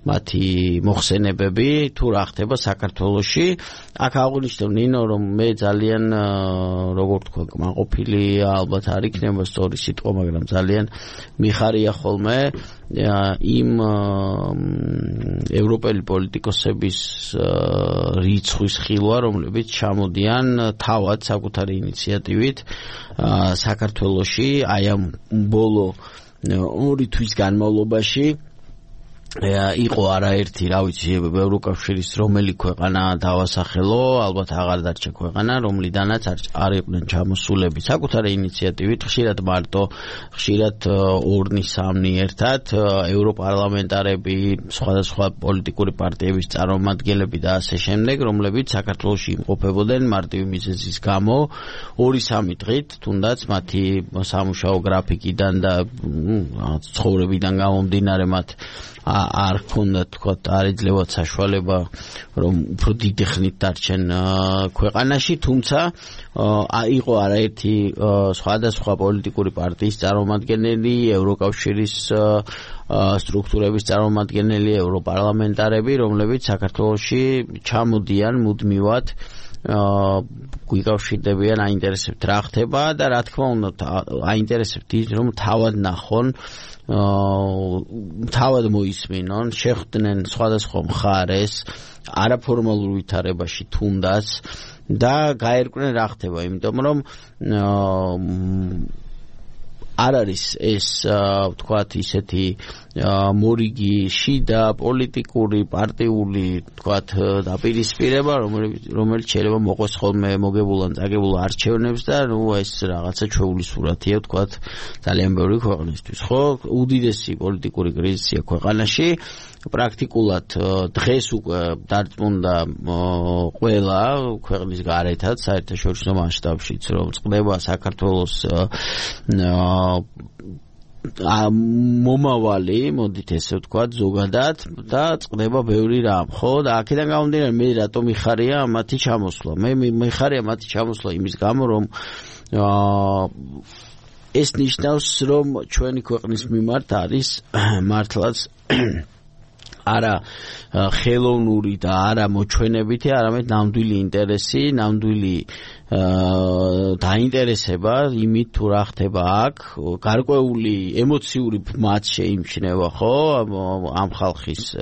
A: მათი მოხსენებები თუ რა ხდება საქართველოში აქ აღნიშნე ნინო რომ მე ძალიან როგორ თქვა კმაყოფილი ალბათ არ იქნება სწორი სიტყვა მაგრამ ძალიან მიხარია ხოლმე იმ ევროპელი პოლიტიკოსების რიცხვის ხილვა რომლებიც ჩამოდიან თავად საკუთარი ინიციატივით საქართველოში აი ამ ბოლო ორი თვის განმავლობაში იყო არაერთი, რა ვიცი, ევროკავშირის რომელი ქვეყანა დავასახელო, ალბათ აღარ დარჩა ქვეყანა, რომლიდანაც არ იყვნენ ჩამოსულები საკუთარი ინიციატივით, ხშირად მარტო, ხშირად ორნი სამნი ერთად, ევროპარლამენტარები, სხვადასხვა პოლიტიკური პარტიების წარმომადგენლები და ასე შემდეგ, რომლებიც საქართველოში იმყოფებოდნენ მარტივი მიზეზის გამო, ორი სამი დღით, თუნდაც მათი სამუშაო გრაფიკიდან და ცხოვრებიდან გამომდინარე მათ არ ქონდათ თქვათ არ ეძლებათ საშუალება რომ უფრო დიდი ხნით დარჩენ ქვეყანაში თუმცა იყო არაერთი სხვადასხვა პოლიტიკური პარტიის წარმომადგენელი ევროკავშირის სტრუქტურების წარმომადგენელი ევროპარლამენტარები რომლებიც საქართველოში ჩამოდიან მუდმივად გვიკავშირდებიან აინტერესებთ რა ხდება და რა თქმა უნდა აინტერესებთ ის რომ თავად ნახონ თავად მოისმინონ შეხვდნენ სხვადასხვა მხარეს არაფორმალურ ვითარებაში თუნდაც და გაერკვნენ რა ხდება იმიტომ რომ
D: არ არის ეს ვთქვათ ისეთი მორიგი შიდა პოლიტიკური პარტიული ვთქვათ დაპირისპირება რომელიც შეიძლება მოყვეს ხოლმე მოგებულ ან წაგებულ არჩევნებს და ნუ ეს რაღაცა ჩვეული სურათია ვთქვათ ძალიან ბევრი ქვეყნისთვის ხო უდიდესი პოლიტიკური კრიზისია ქვეყანაში პრაქტიკულად დღეს უკვე დარწმუნდა ყველა ქვეყნის გარეთაც საერთაშორისო მასშტაბშიც რომ წყდება საქართველოს მომავალი, მოდით ესე ვთქვათ, ზოგადად და წყდება ბევრი რამ, ხო? და აქედან გამომდინარე მე რატომ მიხარია მათი ჩამოსვლა. მე მიხარია მათი ჩამოსვლა იმის გამო, რომ ეს ნიშნავს, რომ ჩვენი ქვეყნის მიმართ არის მართლაც არა ხელოვნური და არა მოჩვენებითი, არამედ ნამდვილი ინტერესი, ნამდვილი დაინტერესება იმით თუ რა ხდება აქ, გარკვეული ემოციური მაც შეიმჩნევა, ხო, ამ ხალხის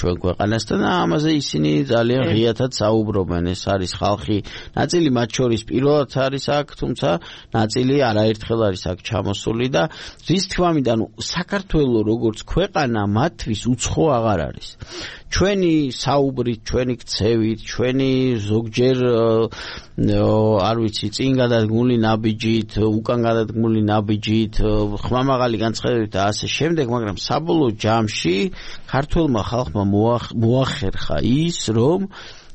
D: ჩვენ ქვეყანასთან და ამაზე ისინი ძალიან ღიათად საუბრობენ. ეს არის ხალხი, ნაწილი მათ შორის პირველად არის აქ, თუმცა ნაწილი არაერთხელ არის აქ ჩამოსული და რის თქმამდან საქართველოს როგორც ქვეყანა მათთვის უცხო აღარ არის. ჩვენი საუბრით, ჩვენი ქცევით, ჩვენი ზოგჯერ არ ვიცი, წინ გადადგმული ნაბიჯით, უკან გადადგმული ნაბიჯით, ხმამაღალი განცხადებებით და ასე შემდეგ, მაგრამ საბოლოო ჯამში ქართველმა ხალხმა მოახერხა ის, რომ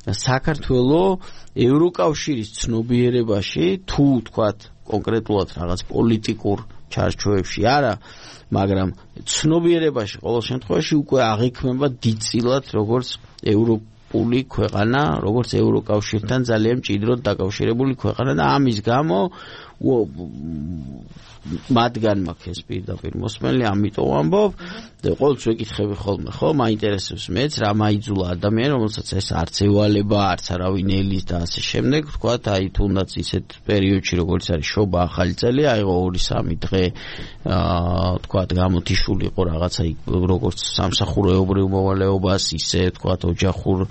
D: საქართველოს ევროკავშირის ცნობიერებაში თუ თქვათ კონკრეტულად რაღაც პოლიტიკურ ჩარჩოებში არა, მაგრამ ცნობიერებაში ყოველ შემთხვევაში უკვე აღიქმება დიდწილად როგორც ევროპული ქვეყანა, როგორც ევროკავშირთან ძალიან მჭიდროდ დაკავშირებული ქვეყანა და ამის გამო მათგან მაქვს ეს პირდაპირ მოსმენელი, ამიტომ ამბობ და ყოველთვის ვეკითხები ხოლმე, ხო, მაინტერესებს მეც რა მაიძულა ადამიანი, რომელსაც ეს არც ევალება, არც არავინ ელის და ასე შემდეგ, ვთქვათ, აი თუნდაც ისეთ პერიოდში, როგორც არის შობა ახალი წელი, აიღო ორი სამი დღე, აა, ვთქვათ, გამოთიშული იყო რაღაცა როგორც სამსახურეობრივ მოვალეობას, ისე ვთქვათ, ოჯახურ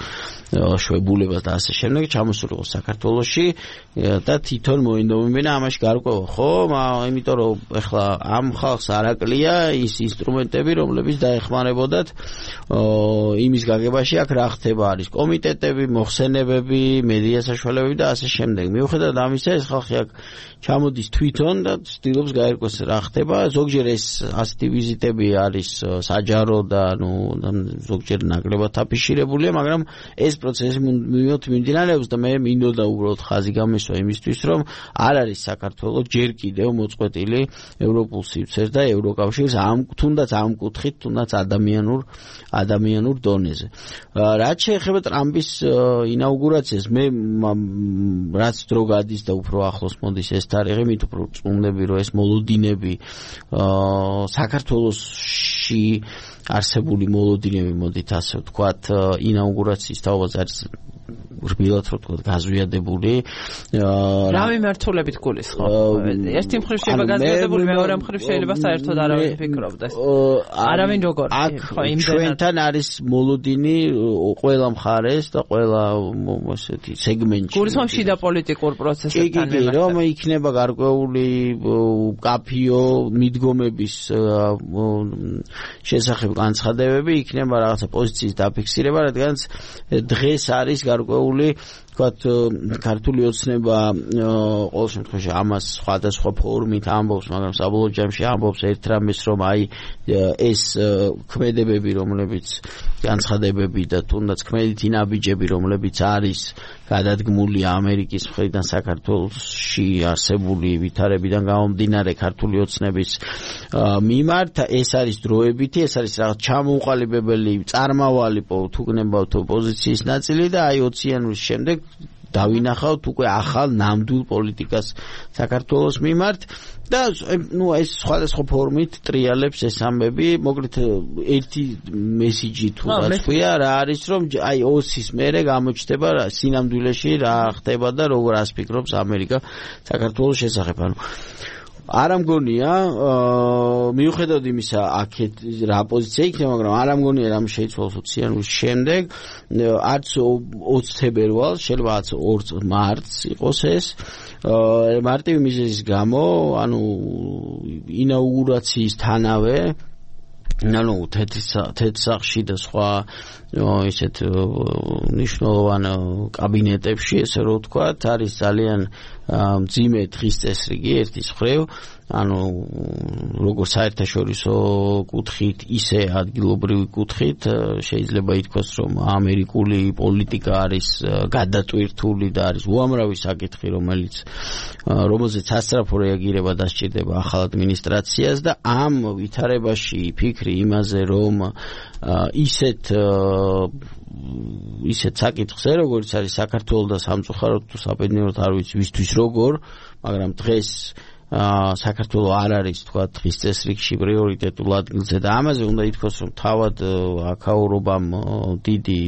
D: შვებულებას და ასე შემდეგ, ჩამოსული იყო საქართველოში და თვითონ მოინდომებინა ამაში გარკვევა, ხო, იმიტომ რომ ეხლა ამ ხალხს არ აკლია ის ინსტრუმენტები, რომლებიც დაეხმარებოდათ იმის გაგებაში, აქ რა ხდება, არის კომიტეტები, მოხსენებები, მედია საშუალებები და ასე შემდეგ. მიუხედავად ამისა, ეს ხალხი აქ ჩამოდის თვითონ და ცდილობს გაერკვეს რა ხდება. ზოგჯერ ეს ასეთი ვიზიტები არის საჯარო და ნუ ზოგჯერ ნაკლებად აფიშირებულია, მაგრამ ეს პროცესი მიმდინარეობს და მე მინდოდა უბრალოდ ხაზი გამესვა იმისთვის, რომ არ არის საქართველოს ჯერ კიდევ მოწყვეტილი ევროპულ სივრცეს და ევროკავშირს ამ თუნდაც ამ კუთხით, თუნდაც ადამიანურ ადამიანურ დონეზე. რაც შეეხება ტრამპის ინაუგურაციას, მე რაც დრო გადის და უფრო ახლოს მოდის ეს თარიღი, მით უფრო წუნდები, რომ ეს მოლოდინები საქართველოში არსებული მოლოდინები, მოდით ასე ვთქვათ, ინაუგურაციის თაობაზე არის რბილად რო თქვა გაზვიადებული.
A: რა მიმართულებით გულისხმობ? ერთი მხრივ შეიძლება გაზვიადებული, მეორე მხრივ შეიძლება საერთოდ არავინ ფიქრობდეს. არავინ როგორ?
D: ხო, ჩვენთან არის მოლოდინი ყველა მხარეს და ყველა ასეთი სეგმენტში.
A: გულისხმობ შიდა პოლიტიკურ პროცესებთან
D: კი, კი, რომ იქნება გარკვეული კაფიო მიდგომების შესახებ განცხადებები, იქნება რაღაცა პოზიციის დაფიქსირება, რადგანაც დღეს არის გარკვეული ვთქვათ ქართული ოცნება ყოველ შემთხვევაში ამას სხვადასხვა ფორმით ამბობს, მაგრამ საბოლოო ჯამში ამბობს ერთ რამეს, რომ აი ეს ქმედებები, რომლებიც განცხადებები და თუნდაც ქმედითი ნაბიჯები, რომლებიც არის გადადგმული ამერიკის მხრიდან საქართველოში არსებული ვითარებიდან გამომდინარე ქართული ოცნების მიმართ, ეს არის დროებითი, ეს არის რაღაც ჩამოუყალიბებელი, წარმავალი თუ გნებავთ პოზიციის ნაწილი და აი ოცი იანვრის შემდეგ დავინახავთ უკვე ახალ ნამდვილ პოლიტიკას საქართველოს მიმართ და ნუ ეს სხვადასხვა ფორმით ტრიალებს ეს ამბები, მოკლედ ერთი მესიჯი თუ რა თქვია, რა არის, რომ აი ოცის მერე გამოჩნდება სინამდვილეში რა ხდება და როგორ ას ფიქრობს ამერიკა საქართველოს შესახებ. ანუ არ ამგონია მიუხედავად იმისა აქეთ რა პოზიცია იქნება, მაგრამ არ ამგონია რამ შეიცვალოს ოციანურის შემდეგ, არც ოცი თებერვალს, შეიძლება არც ორი მარტს იყოს ეს. მარტივი მიზეზის გამო, ანუ ინაუგურაციისთანავე ანუ თეთრსახში და სხვა ისეთ მნიშვნელოვან კაბინეტებში, ესე რომ ვთქვათ, არის ძალიან მძიმე დღის წესრიგი ერთის მხრივ, ანუ როგორც საერთაშორისო კუთხით, ისე ადგილობრივი კუთხით შეიძლება ითქვას, რომ ამერიკული პოლიტიკა არის გადატვირთული და არის უამრავი საკითხი, რომელიც რომელზეც სასწრაფო რეაგირება დასჭირდება ახალ ადმინისტრაციას და ამ ვითარებაში ფიქრი იმაზე, რომ ისეთ ისეთ საკითხზე, როგორც არის საქართველოს და სამწუხაროდ თუ საბედნიეროდ არ ვიცი ვისთვის როგორ, მაგრამ დღეს საქართველოს არ არის თქვა დღის წესრიგში პრიორიტეტულ ადგილზე და ამაზე უნდა ითქვას, რომ თავად აქაურობამ დიდი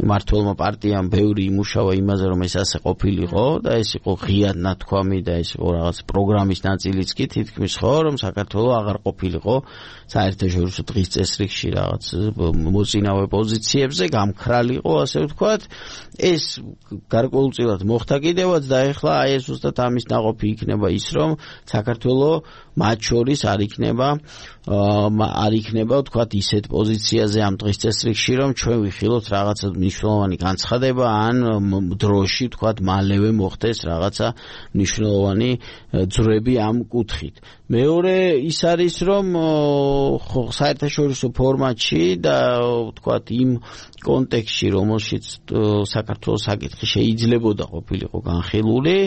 D: მმართველმა პარტიამ ბევრი იმუშავა იმაზე, რომ ეს ასე ყოფილიყო და ეს იყო ღიად ნათქვამი და ეს იყო რაღაც პროგრამის ნაწილიც კი თითქმის ხო, რომ საქართველოს აღარ ყოფილიყო საერთაშორისო დღის წესრიგში რაღაც მოწინავე პოზიციებზე, გამქრალიყო, ასე ვთქვათ. ეს გარკვეულწილად მოხდა კიდევაც და ეხლა აი ეს უბრალოდ ამის ნაყოფი იქნება ის, რომ საქართველოს მათ შორის არ იქნება არ იქნება ვთქვათ ისეთ პოზიციაზე ამ დღის წესრიგში, რომ ჩვენ ვიხილოთ რაღაცა მნიშვნელოვანი განცხადება ან დროში ვთქვათ მალევე მოხდეს რაღაცა მნიშვნელოვანი ძვრები ამ კუთხით. მეორე ის არის, რომ საერთაშორისო ფორმატში და ვთქვათ იმ კონტექსტში, რომელშიც საქართველოს საკითხი შეიძლებოდა ყოფილიყო განხილული,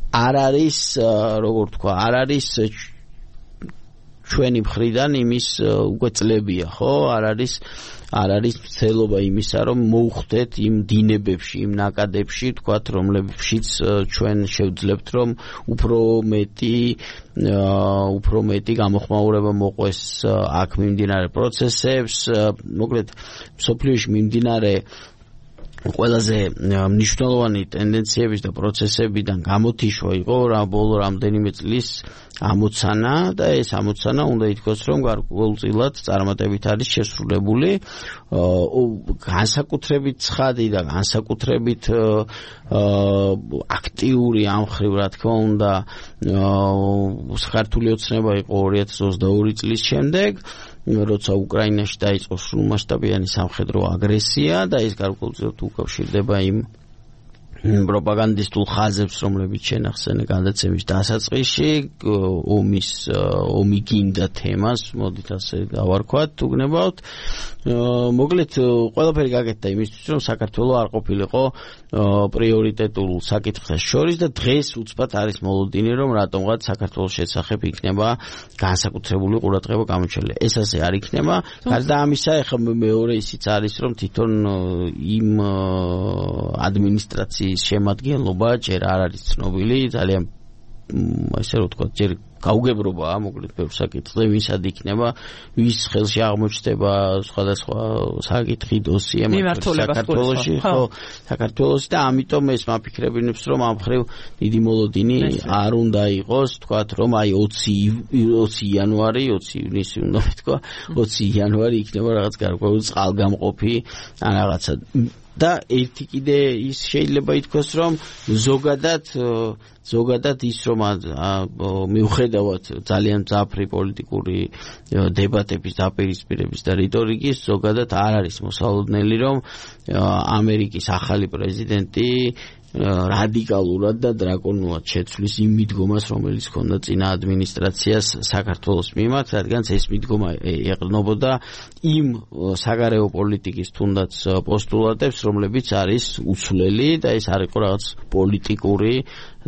D: არ არის, როგორ თქვა, არ არის ჩვენი მხრიდან იმის უკვე წლებია, ხო? არ არის არ არის ცელობა იმისა, რომ მოუხდეთ იმ დინებებში, იმ ნაკადებში, თქვათ, რომლებშიც ჩვენ შევძლებთ, რომ უფრო მეტი უფრო მეტი გამოხმაურება მოყვეს აქ მიმდინარე პროცესებს, მოკლედ მსოფლიოში მიმდინარე ყველაზე მნიშვნელოვანი ტენდენციების და პროცესებიდან გამოთიშვა იყო რა ბოლო რამდენიმე წლის ამოცანა და ეს ამოცანა უნდა ითქვას, რომ გარკვეულწილად წარმატებით არის შესრულებული, განსაკუთრებით ცხადი და განსაკუთრებით აქტიური ამ მხრივ, რა თქმა უნდა, საქართველოს ოცნება იყო ორი ათას ოცდაორი წლის შემდეგ, როცა უკრაინაში დაიწყო სრულმასშტაბიანი სამხედრო აგრესია და ეს გარკვეულწილად უკავშირდება იმ პროპაგანდისტულ ხაზებს, რომლებიც შენახსენე გადაცემის დასაწყისში, ომის ომი გინდა თემას, მოდით ასე დავარქვათ, უგნებავთ. მოკლედ ყველაფერი გაკეთდა იმისთვის, რომ საქართველოს არ ყოფილიყო პრიორიტეტულ საკითხთა შორის და დღეს უცბად არის მოლოდინი, რომ რატომღაც საქართველოს შესახებ იქნება განსაკუთრებული ყურადღება გამოჩენილი. ეს ასე არ იქნება. გარდა ამისა, ეხლა მეორე ისიც არის, რომ თვითონ იმ ადმინისტრაციის შემადგენლობა ჯერ არ არის ცნობილი, ძალიან ასე რომ ვთქვათ, ჯერ გაუგებრობაა, მოკლედ ბევრ საკითხზე, ვისად იქნება, ვის ხელში აღმოჩნდება სხვადასხვა საკითხი, დოსიე საქართველოში, ხო, საქართველოში და ამიტომ ეს მაფიქრებინებს, რომ ამ მხრივ დიდი მოლოდინი არ უნდა იყოს, ვთქვათ, რომ აი ოცი იანვარი, ოცი ივნისი უნდა ვთქვა, ოცი იანვარი იქნება რაღაც გარკვეული წყალგამყოფი ან რაღაცა. და ერთი კიდე ის შეიძლება ითქვას, რომ ზოგადად ზოგადად ის რომ მიუხედავად ძალიან მძაფრი პოლიტიკური დებატების, დაპირისპირების და რიტორიკის, ზოგადად არ არის მოსალოდნელი, რომ ამერიკის ახალი პრეზიდენტი რადიკალურად და დრაკონულად შეცვლის იმ მიდგომას, რომელიც ჰქონდა წინა ადმინისტრაციას საქართველოს მიმართ, რადგან ეს მიდგომა ეყრდნობოდა იმ საგარეო პოლიტიკის თუნდაც პოსტულატებს, რომლებიც არის უცვლელი და ეს არ იყო რაღაც პოლიტიკური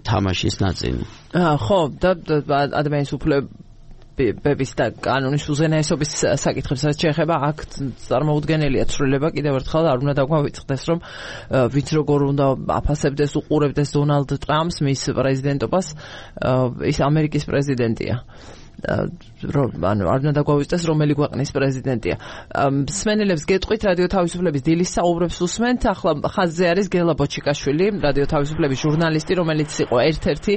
D: თამაშის ნაწილი.
A: ხო, და ადამიანის უფლებების ბების და კანონის უზენაესობის საკითხებს რაც შეეხება, აქ წარმოუდგენელია ცვლილება, კიდევ ერთხელ არ უნდა დაგვავიწყდეს, რომ ვინც როგორ უნდა აფასებდეს, უყურებდეს დონალდ ტრამპს, მის პრეზიდენტობას, ის ამერიკის პრეზიდენტია. ანუ არ უნდა დაგვავიწყდეს რომელი ქვეყნის პრეზიდენტია. მსმენელებს გეტყვით რადიო თავისუფლების დილის საუბრებს უსმენთ. ახლა ხაზზე არის გელა ბოჩიკაშვილი, რადიო თავისუფლების ჟურნალისტი, რომელიც იყო ერთ-ერთი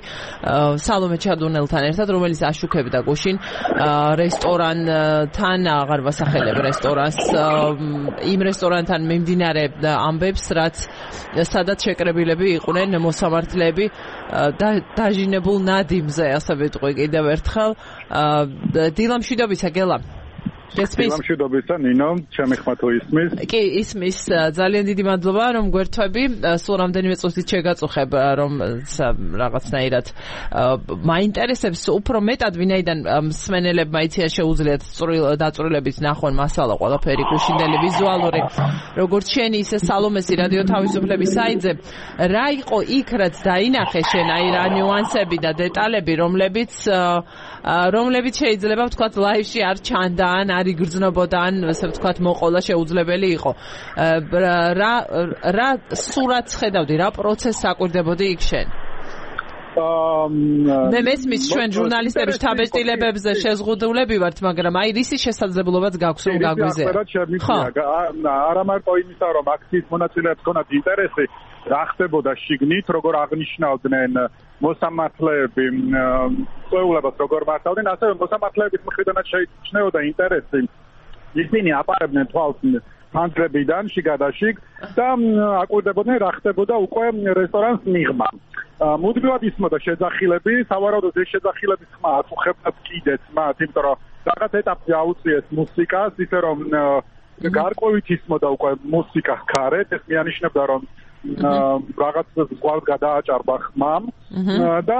A: სალომე ჩადუნელთან ერთად, რომელიც აშუქებდა გუშინ რესტორანთან, აღარ ვასახელებ რესტორანს, იმ რესტორანთან მიმდინარე ამბებს, რაც სადაც შეკრებილები იყვნენ მოსამართლეები და დაჟინებულ ნადიმზე, ასე ვიტყვი კიდევ ერთხელ. დილა მშვიდობისა გელა.
F: დილა მშვიდობისა ნინო, ჩემი ხმა თუ ისმის? კი,
A: ისმის. ძალიან დიდი მადლობა რომ გვერთვები. სულ რამდენიმე წუთით შეგაწუხებ რომ რაღაცნაირად მაინტერესებს უფრო მეტად ვინაიდან მსმენელებმა იციან შეუძლიათ დაწვრილებით ნახონ მასალა ყველაფერი გუშინდელი ვიზუალური როგორც შენი ისე სალომესი რადიო თავისუფლების საიტზე რა იყო იქ რაც დაინახე შენ აი რა ნიუანსები და დეტალები რომლებიც რომლებიც შეიძლება ვთქვათ ლაივში არ ჩანდან არ იგრძნობოდა ან ასე ვთქვათ მოყოლა შეუძლებელი იყო რა რა სურათს ხედავდი რა პროცესს აკვირდებოდი იქ შენ მე მესმის ჩვენ ჟურნალისტების თავშესტილებებზე შეზღუდულები ვართ მაგრამ აი რისი შესაძლებლობაც გაქვს რომ გაგვიზეა
F: ხო არა მარტო იმისა რომ აქციის მონაწილეებს ქონათ ინტერესი რა ხდებოდა შიგნით როგორ აღნიშნავდნენ მოსამართლეები წვეულებას როგორ მართავდნენ ასევე მოსამართლეების მხრიდანაც შეიჩნეოდა ინტერესი ისინი აპარებდნენ თვალს ფანჯრებიდან შიგადაშიგ და აკვირდებოდნენ რა ხდებოდა უკვე რესტორანს მიღმა მუდმივად ისმოდა შეძახილები სავარაუდოდ ეს შეძახილების ხმა აწუხებდა კიდეც მათ იმიტომ რომ რაღაც ეტაპზე აუწიეს მუსიკას ისე რომ გარკვევით ისმოდა უკვე მუსიკა გარეთ ეს მიანიშნებდა რომ რაღაც ზღვას გადააჭარბა ხმამ და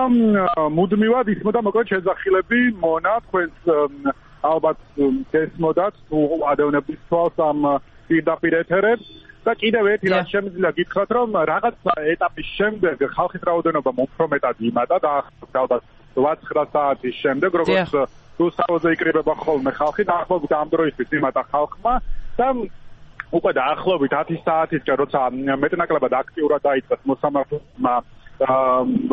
F: მუდმივად ისმოდა მოკლედ შეძახილები მონა თქვენს ალბათ გესმოდათ თუ ადევნების თვალს ამ პირდაპირ ეთერებს და კიდევ ერთი რაც შემიძლია გითხრათ რომ რაღაც ეტაპის შემდეგ ხალხის რაოდენობა უფრო მეტად იმატა და ალბათ რვა-ცხრა საათის შემდეგ როგორც რუსთავზე იკრიბება ხოლმე ხალხი დაახლოებით ამ დროისთვის იმატა ხალხმა და უკვე დაახლოებით ათი საათისკენ როცა მეტნაკლებად აქტიურად დაიწყეს მოსამართლეებმა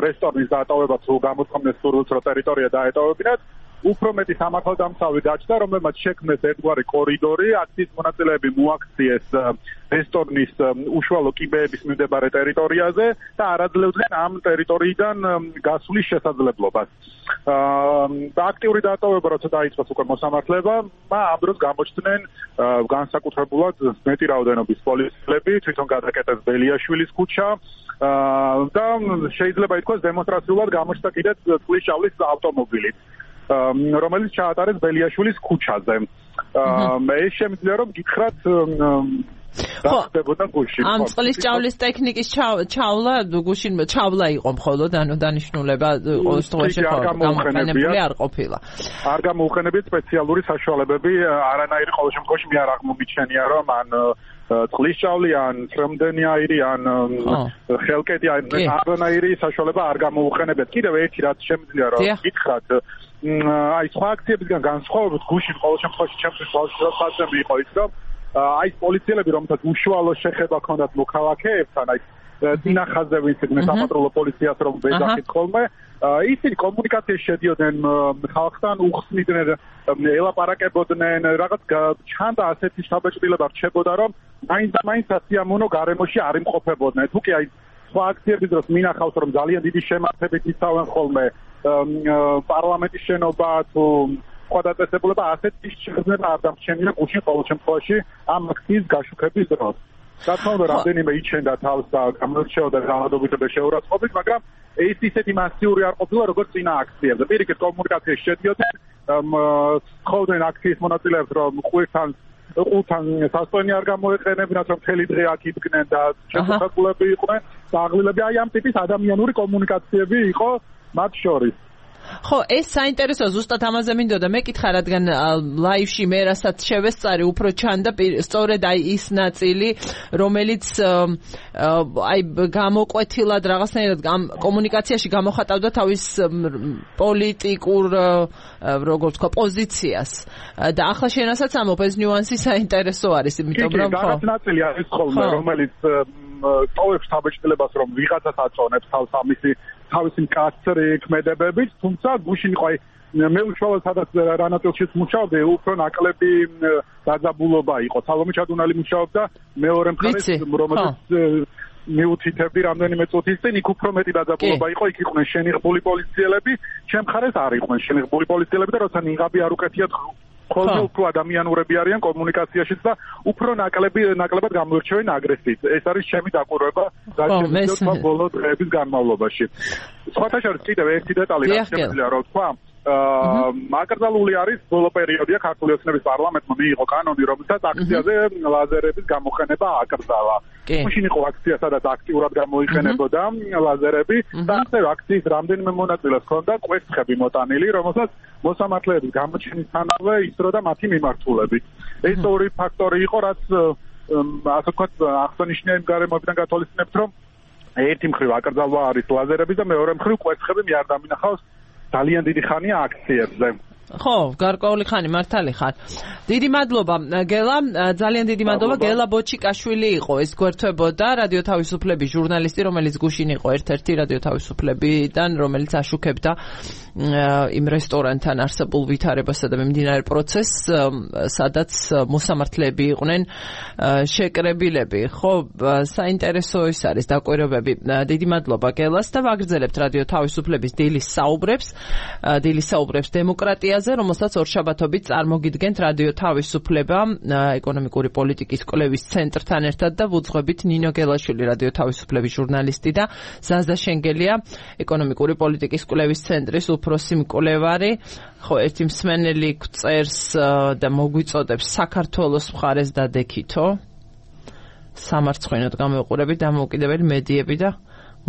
F: რესტორნის დატოვება თუ გამოთქვამეს სურვილს რომ ტერიტორია დაეტოვებინათ უფრო მეტი სამართალდამცავი გაჩნდა, რომელმაც შექმნეს ერთგვარი კორიდორი, აქციის მონაწილეები მოაქციეს რესტორნის უშუალო კიბეების მიმდებარე ტერიტორიაზე და არაძლევდნენ ამ ტერიტორიიდან გასვლის შესაძლებლობას. და აქტიური დატოვება როცა დაიწყოს უკვე მოსამართლეებმა, ამ დროს გამოჩნდნენ განსაკუთრებულად მეტი რაოდენობის პოლიციელები, თვითონ გადაკეტეს ბელიაშვილის ქუჩა და შეიძლება ითქვას დემონსტრაციულად გამოჩნდა კიდეც წყლის ჭავლის ავტომობილი. რომელიც ჩაატარეს ბელიაშვილის ქუჩაზე. ეს შემიძლია რომ გითხრათ რა ხდებოდა გუშინ.
A: ამ წყლის ჭავლის ტექნიკის ჩავლა გუშინ ჩავლა იყო მხოლოდ ანუ დანიშნულება ყოველ შემთხვევაში გამოყენებული არ ყოფილა.
F: არ გამოუყენებიათ სპეციალური საშუალებები არანაირი ყოველ შემთხვევაში მე არ აღმომიჩენია რომ ან წყლის ჭავლი ან ტრემდენი აირი ან ხელკეტი არანაირი საშუალება არ გამოუყენებიათ. კიდევ ერთი რაც შემიძლია რომ გითხრათ აი სხვა აქციებისგან განსხვავებით გუშინ ყოველ შემთხვევაში ჩემთვის ბავშვობასთან იყო ის რომ აი პოლიციელები რომელთაც უშუალო შეხება ჰქონდათ მოქალაქეებთან აი წინახაზე ვინც იყვნენ საპატრულო პოლიციას რომ ვეძახით ხოლმე ისინი კომუნიკაციაში შედიოდნენ ხალხთან უხსნიდნენ ელაპარაკებოდნენ რაღაც ჩანდა ასეთი შთაბეჭდილება რჩებოდა რომ მაინც და მაინც სასიამოვნო გარემოში არ იმყოფებოდნენ თუ კი აი სხვა აქციების დროს მინახავს რომ ძალიან დიდი შემართებით იცავენ ხოლმე პარლამენტის შენობა თუ სხვა დაწესებულება ასეთი შეგრძნება არ დამრჩენია გუშინ ყოველ შემთხვევაში ამ აქციის გაშუქების დროს. რა თქმა უნდა რამდენიმე იჩენდა თავს და გამოირჩეოდა ძალადობით და შეურაცხყოფით, მაგრამ ეს ისეთი მასიური არ ყოფილა როგორც წინა აქციებზე. პირიქით კომუნიკაციაში შედიოდნენ, ხოდნენ აქციის მონაწილეებს რომ ყვირთან ყულთან სასწაული არ გამოეყენებინათ რომ მთელი დღე აქ იდგნენ და შეფასებულები იყვნენ და აღლილები აი ამ ტიპის ადამიანური კომუნიკაციები იყო მათ შორის.
A: ხო, ეს საინტერესოა, ზუსტად ამაზე მინდოდა მეკითხა, რადგან ლაივში მე რასაც შევესწარი, უფრო ჩანდა სწორედ აი ის ნაწილი, რომელიც აი გამოკვეთილად რაღაცნაირად კომუნიკაციაში გამოხატავდა თავის პოლიტიკურ, როგორ ვთქვა, პოზიციას. და ახლა შენასაც ამობ, ეს ნიუანსი საინტერესო არის, იმიტომ რომ ხო.
F: რაღაც ნაწილი არის ხოლმე, რომელიც ტოვებს საბეჭდილებას, რომ ვიღაცას აწონებს თავს ამისი თავისი მკაცრი ქმედებებით, თუმცა გუშინ იყო მე უშუალოდ სადაც რანატელშიც მუშაობდი, უფრო ნაკლები დაძაბულობა იყო. სალომე ჩადუნალი მუშაობდა მეორე მხარეს, რომელიც მიუთითებდი რამდენიმე წუთის წინ, იქ უფრო მეტი დაძაბულობა იყო, იქ იყვნენ შენიღბული პოლიციელები, ჩემ მხარეს არ იყვნენ შენიღბული პოლიციელები და როცა ნიღაბი არ უკეთიათ ხოლმე უფრო ადამიანურები არიან კომუნიკაციაშიც და უფრო ნაკლები ნაკლებად გამოირჩევენ აგრესიით. ეს არის ჩემი დაკვირვება გაჩვენებულმა ბოლო დღეების განმავლობაში. სხვათა შორის კიდევ ერთი დეტალი რაც შემიძლია რა ვთქვა, აკრძალული არის ბოლო პერიოდია ქართული ოცნების პარლამენტმა მიიღო კანონი, რომელსაც აქციაზე ლაზერების გამოყენება აკრძალა. მაშინ იყო აქცია, სადაც აქტიურად გამოიყენებოდა ლაზერები და ასევე აქციის რამდენიმე მონაწილეს ჰქონდა კვერცხები მოტანილი, რომელსაც მოსამართლეების გამოჩენისთანავე ისროდა მათი მიმართულები. ეს ორი ფაქტორი იყო, რაც ასე ვთქვათ აღსანიშნავია იმ გარემოებიდან გათვალისწინებთ, რომ ერთი მხრივ აკრძალვა არის ლაზერები და მეორე მხრივ კვერცხები მე არ დამინახავს ძალიან დიდი ხანია აქციებზე.
A: ხო, გარკვეული ხანი მართალი ხარ. დიდი მადლობა გელა, ძალიან დიდი მადლობა. გელა ბოჩიკაშვილი იყო, ეს გვერდთვებოდა რადიო თავისუფლების ჟურნალისტი, რომელიც გუშინ იყო ერთ-ერთი რადიო თავისუფლებიდან, რომელიც აშუქებდა იმ რესტორანთან არსებულ ვითარებასა და მიმდინარე პროცესს, სადაც მოსამართლეები იყვნენ შეკრებილები. ხო, საინტერესო ის არის დაკვირვებები. დიდი მადლობა გელას და ვაგრძელებთ რადიო თავისუფლების დილის საუბრებს, დილის საუბრებს დემოკრატია, რომელსაც ორშაბათობით წარმოგიდგენთ რადიო თავისუფლება ეკონომიკური პოლიტიკის კვლევის ცენტრთან ერთად და ვუძღვებით ნინო გელაშვილი რადიო თავისუფლების ჟურნალისტი და ზაზა შენგელია ეკონომიკური პოლიტიკის კვლევის ცენტრის უფროსი მკვლევარი. ხო, ერთი მსმენელი წერს და მოგვიწოდებს საქართველოს მხარეს დადექითო სამარცხვინოდ გამოვიყურებით დამოუკიდებელი მედიები და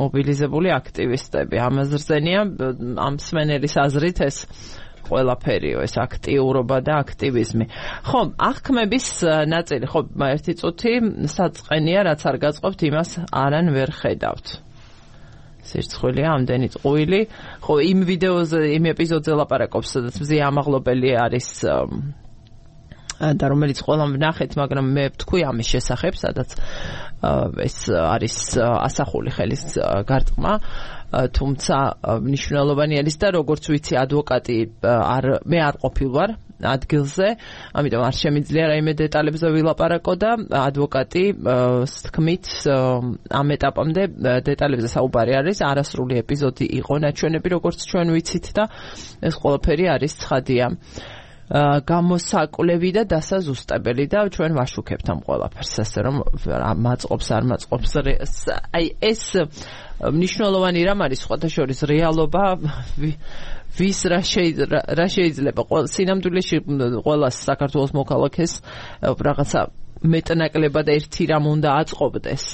A: მობილიზებული აქტივისტები. ამაზრზენია ამ მსმენელის აზრით ეს ყველაფერიო, ეს აქტიურობა და აქტივიზმი. ხო, აღქმების ნაწილი, ხო, ერთი წუთი საწყენია, რაც არ გაწყობთ, იმას არან ვერ ხედავთ. სირცხვილია ამდენი წყვილი. ხო, იმ ვიდეოზე, იმ ეპიზოდზე ლაპარაკობს, სადაც მზია ამაღლობელი არის და რომელიც ყველამ ვნახეთ, მაგრამ მე ვთქვი ამის შესახებ, სადაც ეს არის ასახული ხელის გარწყმა. თუმცა მნიშვნელოვანი არის და როგორც ვიცი ადვოკატი არ მე არ ყოფილვარ ადგილზე, ამიტომ არ შემიძლია რაიმე დეტალებზე ვილაპარაკო და ადვოკატი თქმით ამ ეტაპამდე დეტალებზე საუბარი არის, არასრული ეპიზოდი იყო ნაჩვენები, როგორც ჩვენ ვიცით და ეს ყველაფერი არის ცხადია. გამოსაკლევი და დასაზუსტებელი და ჩვენ ვაშუქებთ ამ ყველაფერს, ასე რომ მაწყობს არ მაწყობს. აი ეს მნიშვნელოვანი რამ არის სხვათა შორის რეალობა, ვის რა შეიძლება სინამდვილეში ყველას საქართველოს მოქალაქეს რაღაცა მეტნაკლებად ერთი რამ უნდა აწყობდეს.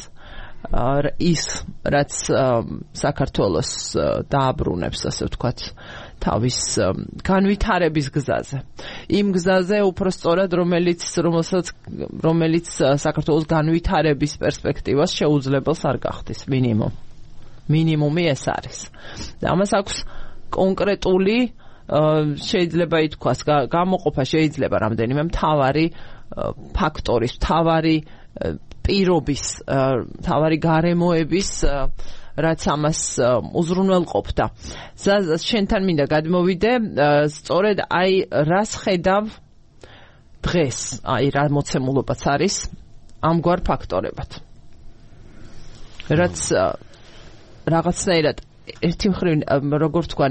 A: ის რაც საქართველოს დააბრუნებს, ასე ვთქვათ, თავის განვითარების გზაზე. იმ გზაზე უფრო სწორად, რომელიც რომელსაც რომელიც საქართველოს განვითარების პერსპექტივას შეუძლებელს არ გახდის, მინიმუმ. მინიმუმი ეს არის. და ამას აქვს კონკრეტული შეიძლება ითქვას, გამოყოფა შეიძლება რამდენიმე მთავარი ფაქტორის, მთავარი პირობის, მთავარი გარემოების, რაც ამას უზრუნველყოფდა. შენთან მინდა გადმოვიდე, სწორედ აი რას ხედავ დღეს, აი რა მოცემულობაც არის ამგვარ ფაქტორებად. რაც რაღაცნაირად ერთი მხრივ როგორ თქვა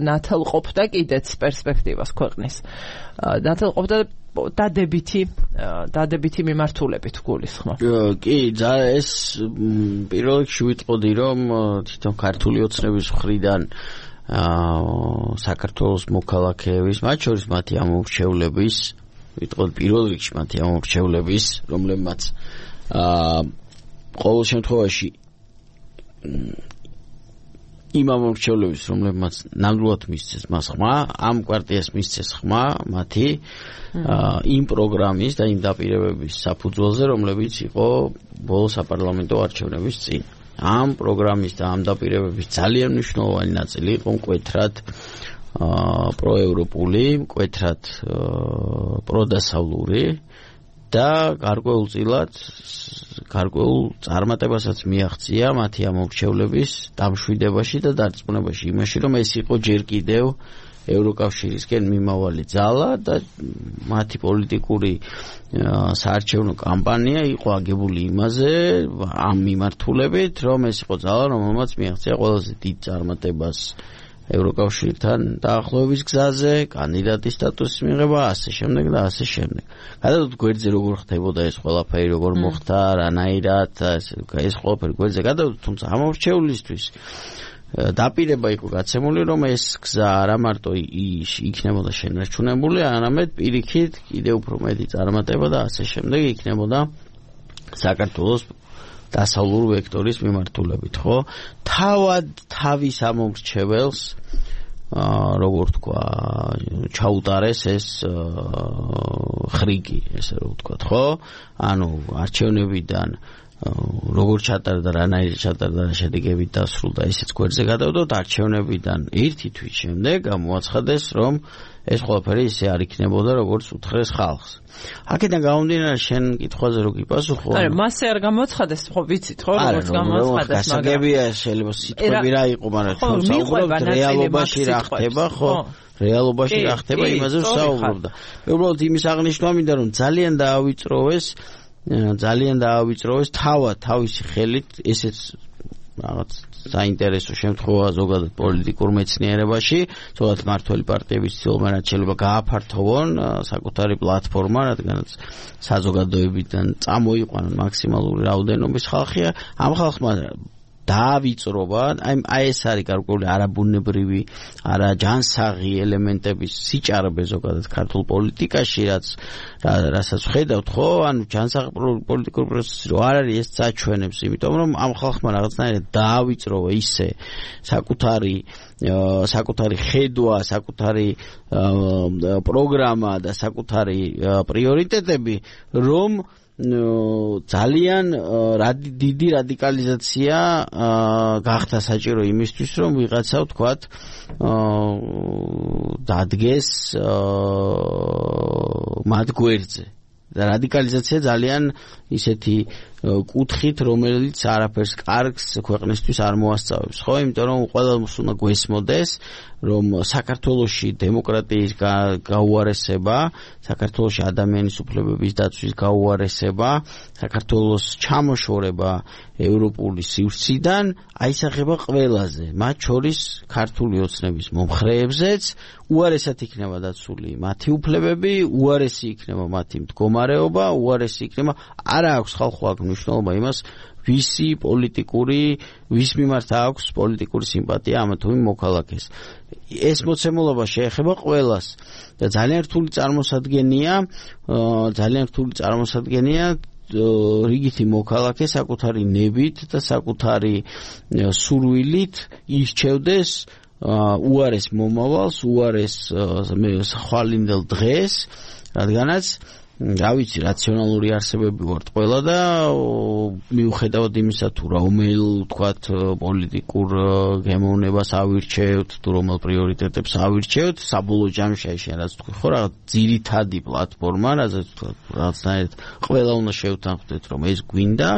A: ნათელყოფდა კიდეც პერსპექტივას ქვეყნის. ნათელყოფდა დადებითი დადებითი მიმართულებით გულისხმობ.
D: კი, ეს პირველ რიგში ვიტყოდი, რომ თვითონ ქართული ოცნების მხრიდან საქართველოს მოქალაქეების, მათ შორის მათი ამორჩევლების, ვიტყოდი პირველ რიგში მათი ამორჩევლების, რომლებმაც ყოველ შემთხვევაში იმ ამორჩევლების, რომლებმაც ნამდვილად მისცეს მას ხმა, ამ კვარტიას მისცეს ხმა მათი იმ პროგრამის და იმ დაპირებების საფუძველზე, რომლებიც იყო ბოლო საპარლამენტო არჩევნების წინ. ამ პროგრამის და ამ დაპირებების ძალიან მნიშვნელოვანი ნაწილი იყო მკვეთრად პროევროპული, მკვეთრად პროდასავლური და გარკვეულწილად გარკვეულ წარმატებასაც მიაღწია მათი ამორჩევლების დამშვიდებაში და დარწმუნებაში იმაში, რომ ეს იყო ჯერ კიდევ ევროკავშირისკენ მიმავალი ძალა და მათი პოლიტიკური საარჩევნო კამპანია იყო აგებული იმაზე ამ მიმართულებით, რომ ეს იყო ძალა, რომელმაც მიაღწია ყველაზე დიდ წარმატებას ევროკავშირთან დაახლოების გზაზე, კანდიდატის სტატუსის მიღება, ასე შემდეგ და ასე შემდეგ. გადავდოთ გვერდზე როგორ ხდებოდა ეს ყველაფერი, როგორ მოხდა, რანაირად, ეს ყველაფერი გვერდზე გადავდოთ, თუმცა ამორჩეულისთვის დაპირება იყო გაცემული, რომ ეს გზა არა მარტო იქნებოდა შენარჩუნებული, არამედ პირიქით კიდევ უფრო მეტი წარმატება და ასე შემდეგ იქნებოდა საქართველოს დასავლურ ვექტორის მიმართულებით, ხო? თავად თავის ამორჩეველს როგორ თქვა, ჩაუტარეს ეს ხრიგი, ესე რომ ვთქვა, ხო? ანუ არჩევნებიდან როგორ ჩატარდა, რანაირად ჩატარდა, შედეგებით დასრულდა, ესეც გვერდზე გადავდოთ. არჩევნებიდან ერთი თვის შემდეგ გამოაცხადეს, რომ ეს ყველაფერი ისე არ იქნებოდა, როგორც უთხრეს ხალხს. აქედან გამომდინარე, შენ კითხვაზე რო გიპასუხო.
A: არა, მასე არ გამოაცხადეს, ხო ვიცით, ხო, როგორც გამოაცხადეს, მაგრამ
D: გასაგებია, შეიძლება სიტყვები რა იყო, მაგრამ ხო, საუბრობთ რეალობაში რა ხდება, ხო? რეალობაში რა ხდება, იმაზე ვსაუბრობდა. მე უბრალოდ იმის აღნიშვნა მინდა, რომ ძალიან დაავიწროვეს ძალიან დაავიწროვეს თავად თავისი ხელით ესეც რაღაც საინტერესო შემთხვევა ზოგადად პოლიტიკურ მეცნიერებაში, ზოგადად მართველი პარტიების ცდილობენ რაც შეიძლება გააფართოვონ საკუთარი პლატფორმა, რადგანაც საზოგადოებიდან წამოიყვანონ მაქსიმალური რაოდენობის ხალხი, ამ ხალხმა დაავიწრობა, აი აი ეს არის გარკვეული არაბუნებრივი, არა ჯანსაღი ელემენტების სიჭარბე ზოგადად ქართულ პოლიტიკაში, რაც რასაც ხედავთ, ხო, ანუ ჯანსაღი პოლიტიკური პროცესი რო არ არის, ეს წაჩვენებს, იმიტომ რომ ამ ხალხმა რაღაცნაირად დაავიწროვა ისე საკუთარი საკუთარი ხედვა, საკუთარი პროგრამა და საკუთარი პრიორიტეტები, რომ ძალიან დიდი რადიკალიზაცია გახდა საჭირო იმისთვის, რომ ვიღაცა ვთქვათ დადგეს მათ გვერდზე. და რადიკალიზაცია ძალიან ისეთი კუთხით, რომელიც არაფერს კარგს ქვეყნისთვის არ მოასწავებს, ხო? იმიტომ რომ ყველას უნდა გვესმოდეს, რომ საქართველოში დემოკრატიის გაუარესება, საქართველოში ადამიანის უფლებების დაცვის გაუარესება, საქართველოს ჩამოშორება ევროპული სივრციდან აისახება ყველაზე, მათ შორის ქართული ოცნების მომხრეებზეც, უარესად იქნება დაცული მათი უფლებები, უარესი იქნება მათი მდგომარეობა, უარესი იქნება, არა აქვს ხალხო აქ მნიშვნელობა იმას, ვისი პოლიტიკური, ვის მიმართ აქვს პოლიტიკური სიმპათია ამა თუ იმ მოქალაქეს. ეს მოცემულობა შეეხება ყველას და ძალიან რთული წარმოსადგენია, ძალიან რთული წარმოსადგენია რიგითი მოქალაქე საკუთარი ნებით და საკუთარი სურვილით ირჩევდეს უარეს მომავალს, უარეს ხვალინდელ დღეს, რადგანაც რა ვიცი, რაციონალური არსებები ვართ ყველა და მიუხედავად იმისა თუ რომელ თქვათ პოლიტიკურ გემოვნებას ავირჩევთ, თუ რომელ პრიორიტეტებს ავირჩევთ, საბოლოო ჯამში შენ რაც თქვი, ხო, რაღაც ძირითადი პლატფორმა, რაც რაღაცნაირად ყველა უნდა შევთანხმდეთ, რომ ეს გვინდა,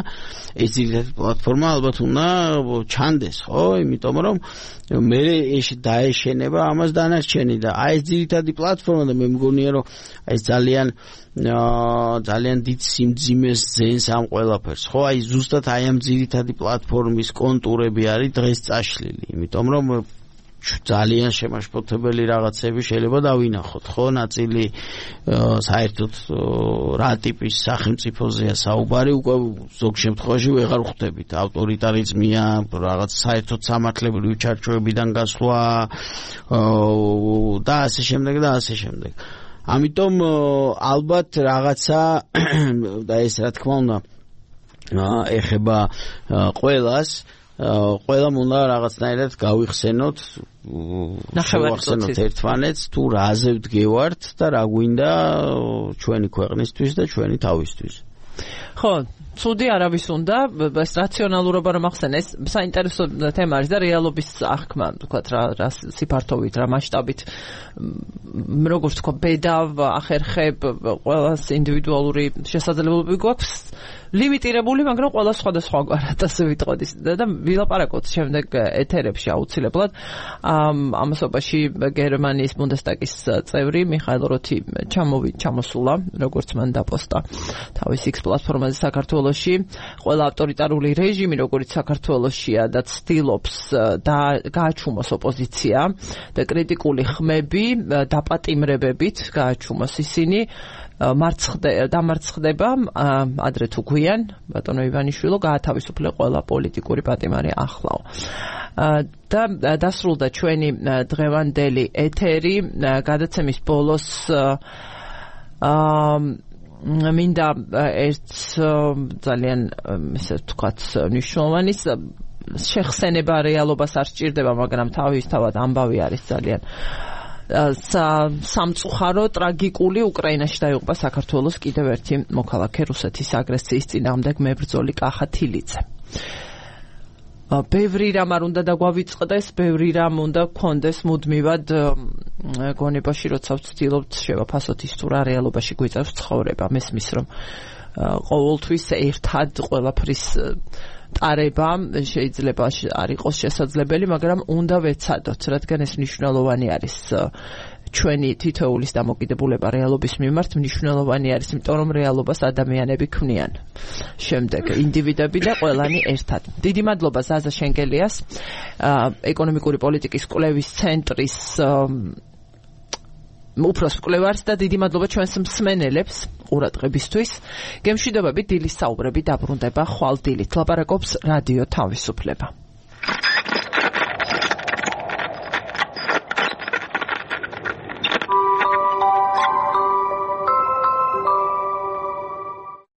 D: ეს ძირითადი პლატფორმა ალბათ უნდა ჩანდეს, ხო, იმიტომ რომ მე ეს დაეშენება ამას დანარჩენი და აი ეს ძირითადი პლატფორმა და მე მგონია რომ ეს ძალიან ძალიან დიდ სიმძიმეს ძენს ამ ყველაფერს, ხო? აი ზუსტად აი ამ ძირითადი პლატფორმის კონტურები არის დღეს წაშლილი, იმიტომ რომ ძალიან შემაშფოთებელი რაღაცები შეიძლება დავინახოთ, ხო? ნაწილი საერთოდ რა ტიპის სახელმწიფოზეა საუბარი, უკვე ზოგ შემთხვევაში ვეღარ ხვდებით. ავტორიტარიზმია, რაღაც საერთოდ სამართლებრივი ჩარჩოებიდან გასვლა და ასე შემდეგ და ასე შემდეგ. ამიტომ ალბათ რაღაცა და ეს რა თქმა უნდა ეხება ყველას, ყველამ უნდა რაღაცნაირად გავიხსენოთ, შევახსენოთ ერთმანეთს თუ რაზე ვდგევართ და რა გვინდა ჩვენი ქვეყნისთვის და ჩვენი თავისთვის.
A: ხო, ცუდი არავის უნდა ეს რაციონალურობა რომ ახსენე ეს საინტერესო თემა არის და რეალობის აღქმა ვთქვათ რა რა სიფართოვით რა მასშტაბით როგორც თქვა ბედა ახერხებ ყველას ინდივიდუალური შესაძლებლობები გვაქვს ლიმიტირებული მაგრამ ყველა სხვადასხვაგვარად ასე ვიტყოდი და ვილაპარაკოთ შემდეგ ეთერებში აუცილებლად ამასობაში გერმანიის ბუნდესტაგის წევრი მიხაილ როთი ჩამოვი ჩამოსულა როგორც მან დაპოსტა თავის X პლატფორმაზე საქართველოში ყველა ავტორიტარული რეჟიმი როგორც საქართველოშია და ცდილობს და გააჩუმოს ოპოზიცია და კრიტიკული ხმები დაპატიმრებებით გააჩუმოს ისინი დამარცხდება ადრე თუ გვიან ბატონო ივანიშვილო გაათავისუფლე ყველა პოლიტიკური პატიმარი ახლავ და დასრულდა ჩვენი დღევანდელი ეთერი გადაცემის ბოლოს მინდა ერთ ძალიან ესე ვთქვათ მნიშვნელოვანი შეხსენება რეალობას არ სჭირდება მაგრამ თავისთავად ამბავი არის ძალიან სამწუხარო ტრაგიკული უკრაინაში დაიღუპა საქართველოს კიდევ ერთი მოქალაქე რუსეთის აგრესიის წინააღმდეგ მებრძოლი კახა თილიძე. ბევრი რამ არ უნდა დაგვავიწყდეს, ბევრი რამ უნდა გქონდეს მუდმივად გონებაში, როცა ვცდილობთ შევაფასოთ ის თუ რა რეალობაში გვიწევს ცხოვრება. მესმის რომ ყოველთვის ერთად ყველაფრის ტარება შეიძლება არ იყოს შესაძლებელი, მაგრამ უნდა ვეცადოთ, რადგან ეს მნიშვნელოვანი არის ჩვენი თითოეულის დამოკიდებულება რეალობის მიმართ მნიშვნელოვანი არის, იმიტომ რომ რეალობას ადამიანები ქმნიან. შემდეგ ინდივიდები და ყველანი ერთად. დიდი მადლობა ზაზა შენგელიას, ეკონომიკური პოლიტიკის კვლევის ცენტრის უფროს მკვლევარს და დიდი მადლობა ჩვენს მსმენელებს ყურადღებისთვის. გემშვიდობებით დილის საუბრები დაბრუნდება ხვალ დილით. ლაპარაკობს რადიო თავისუფლება.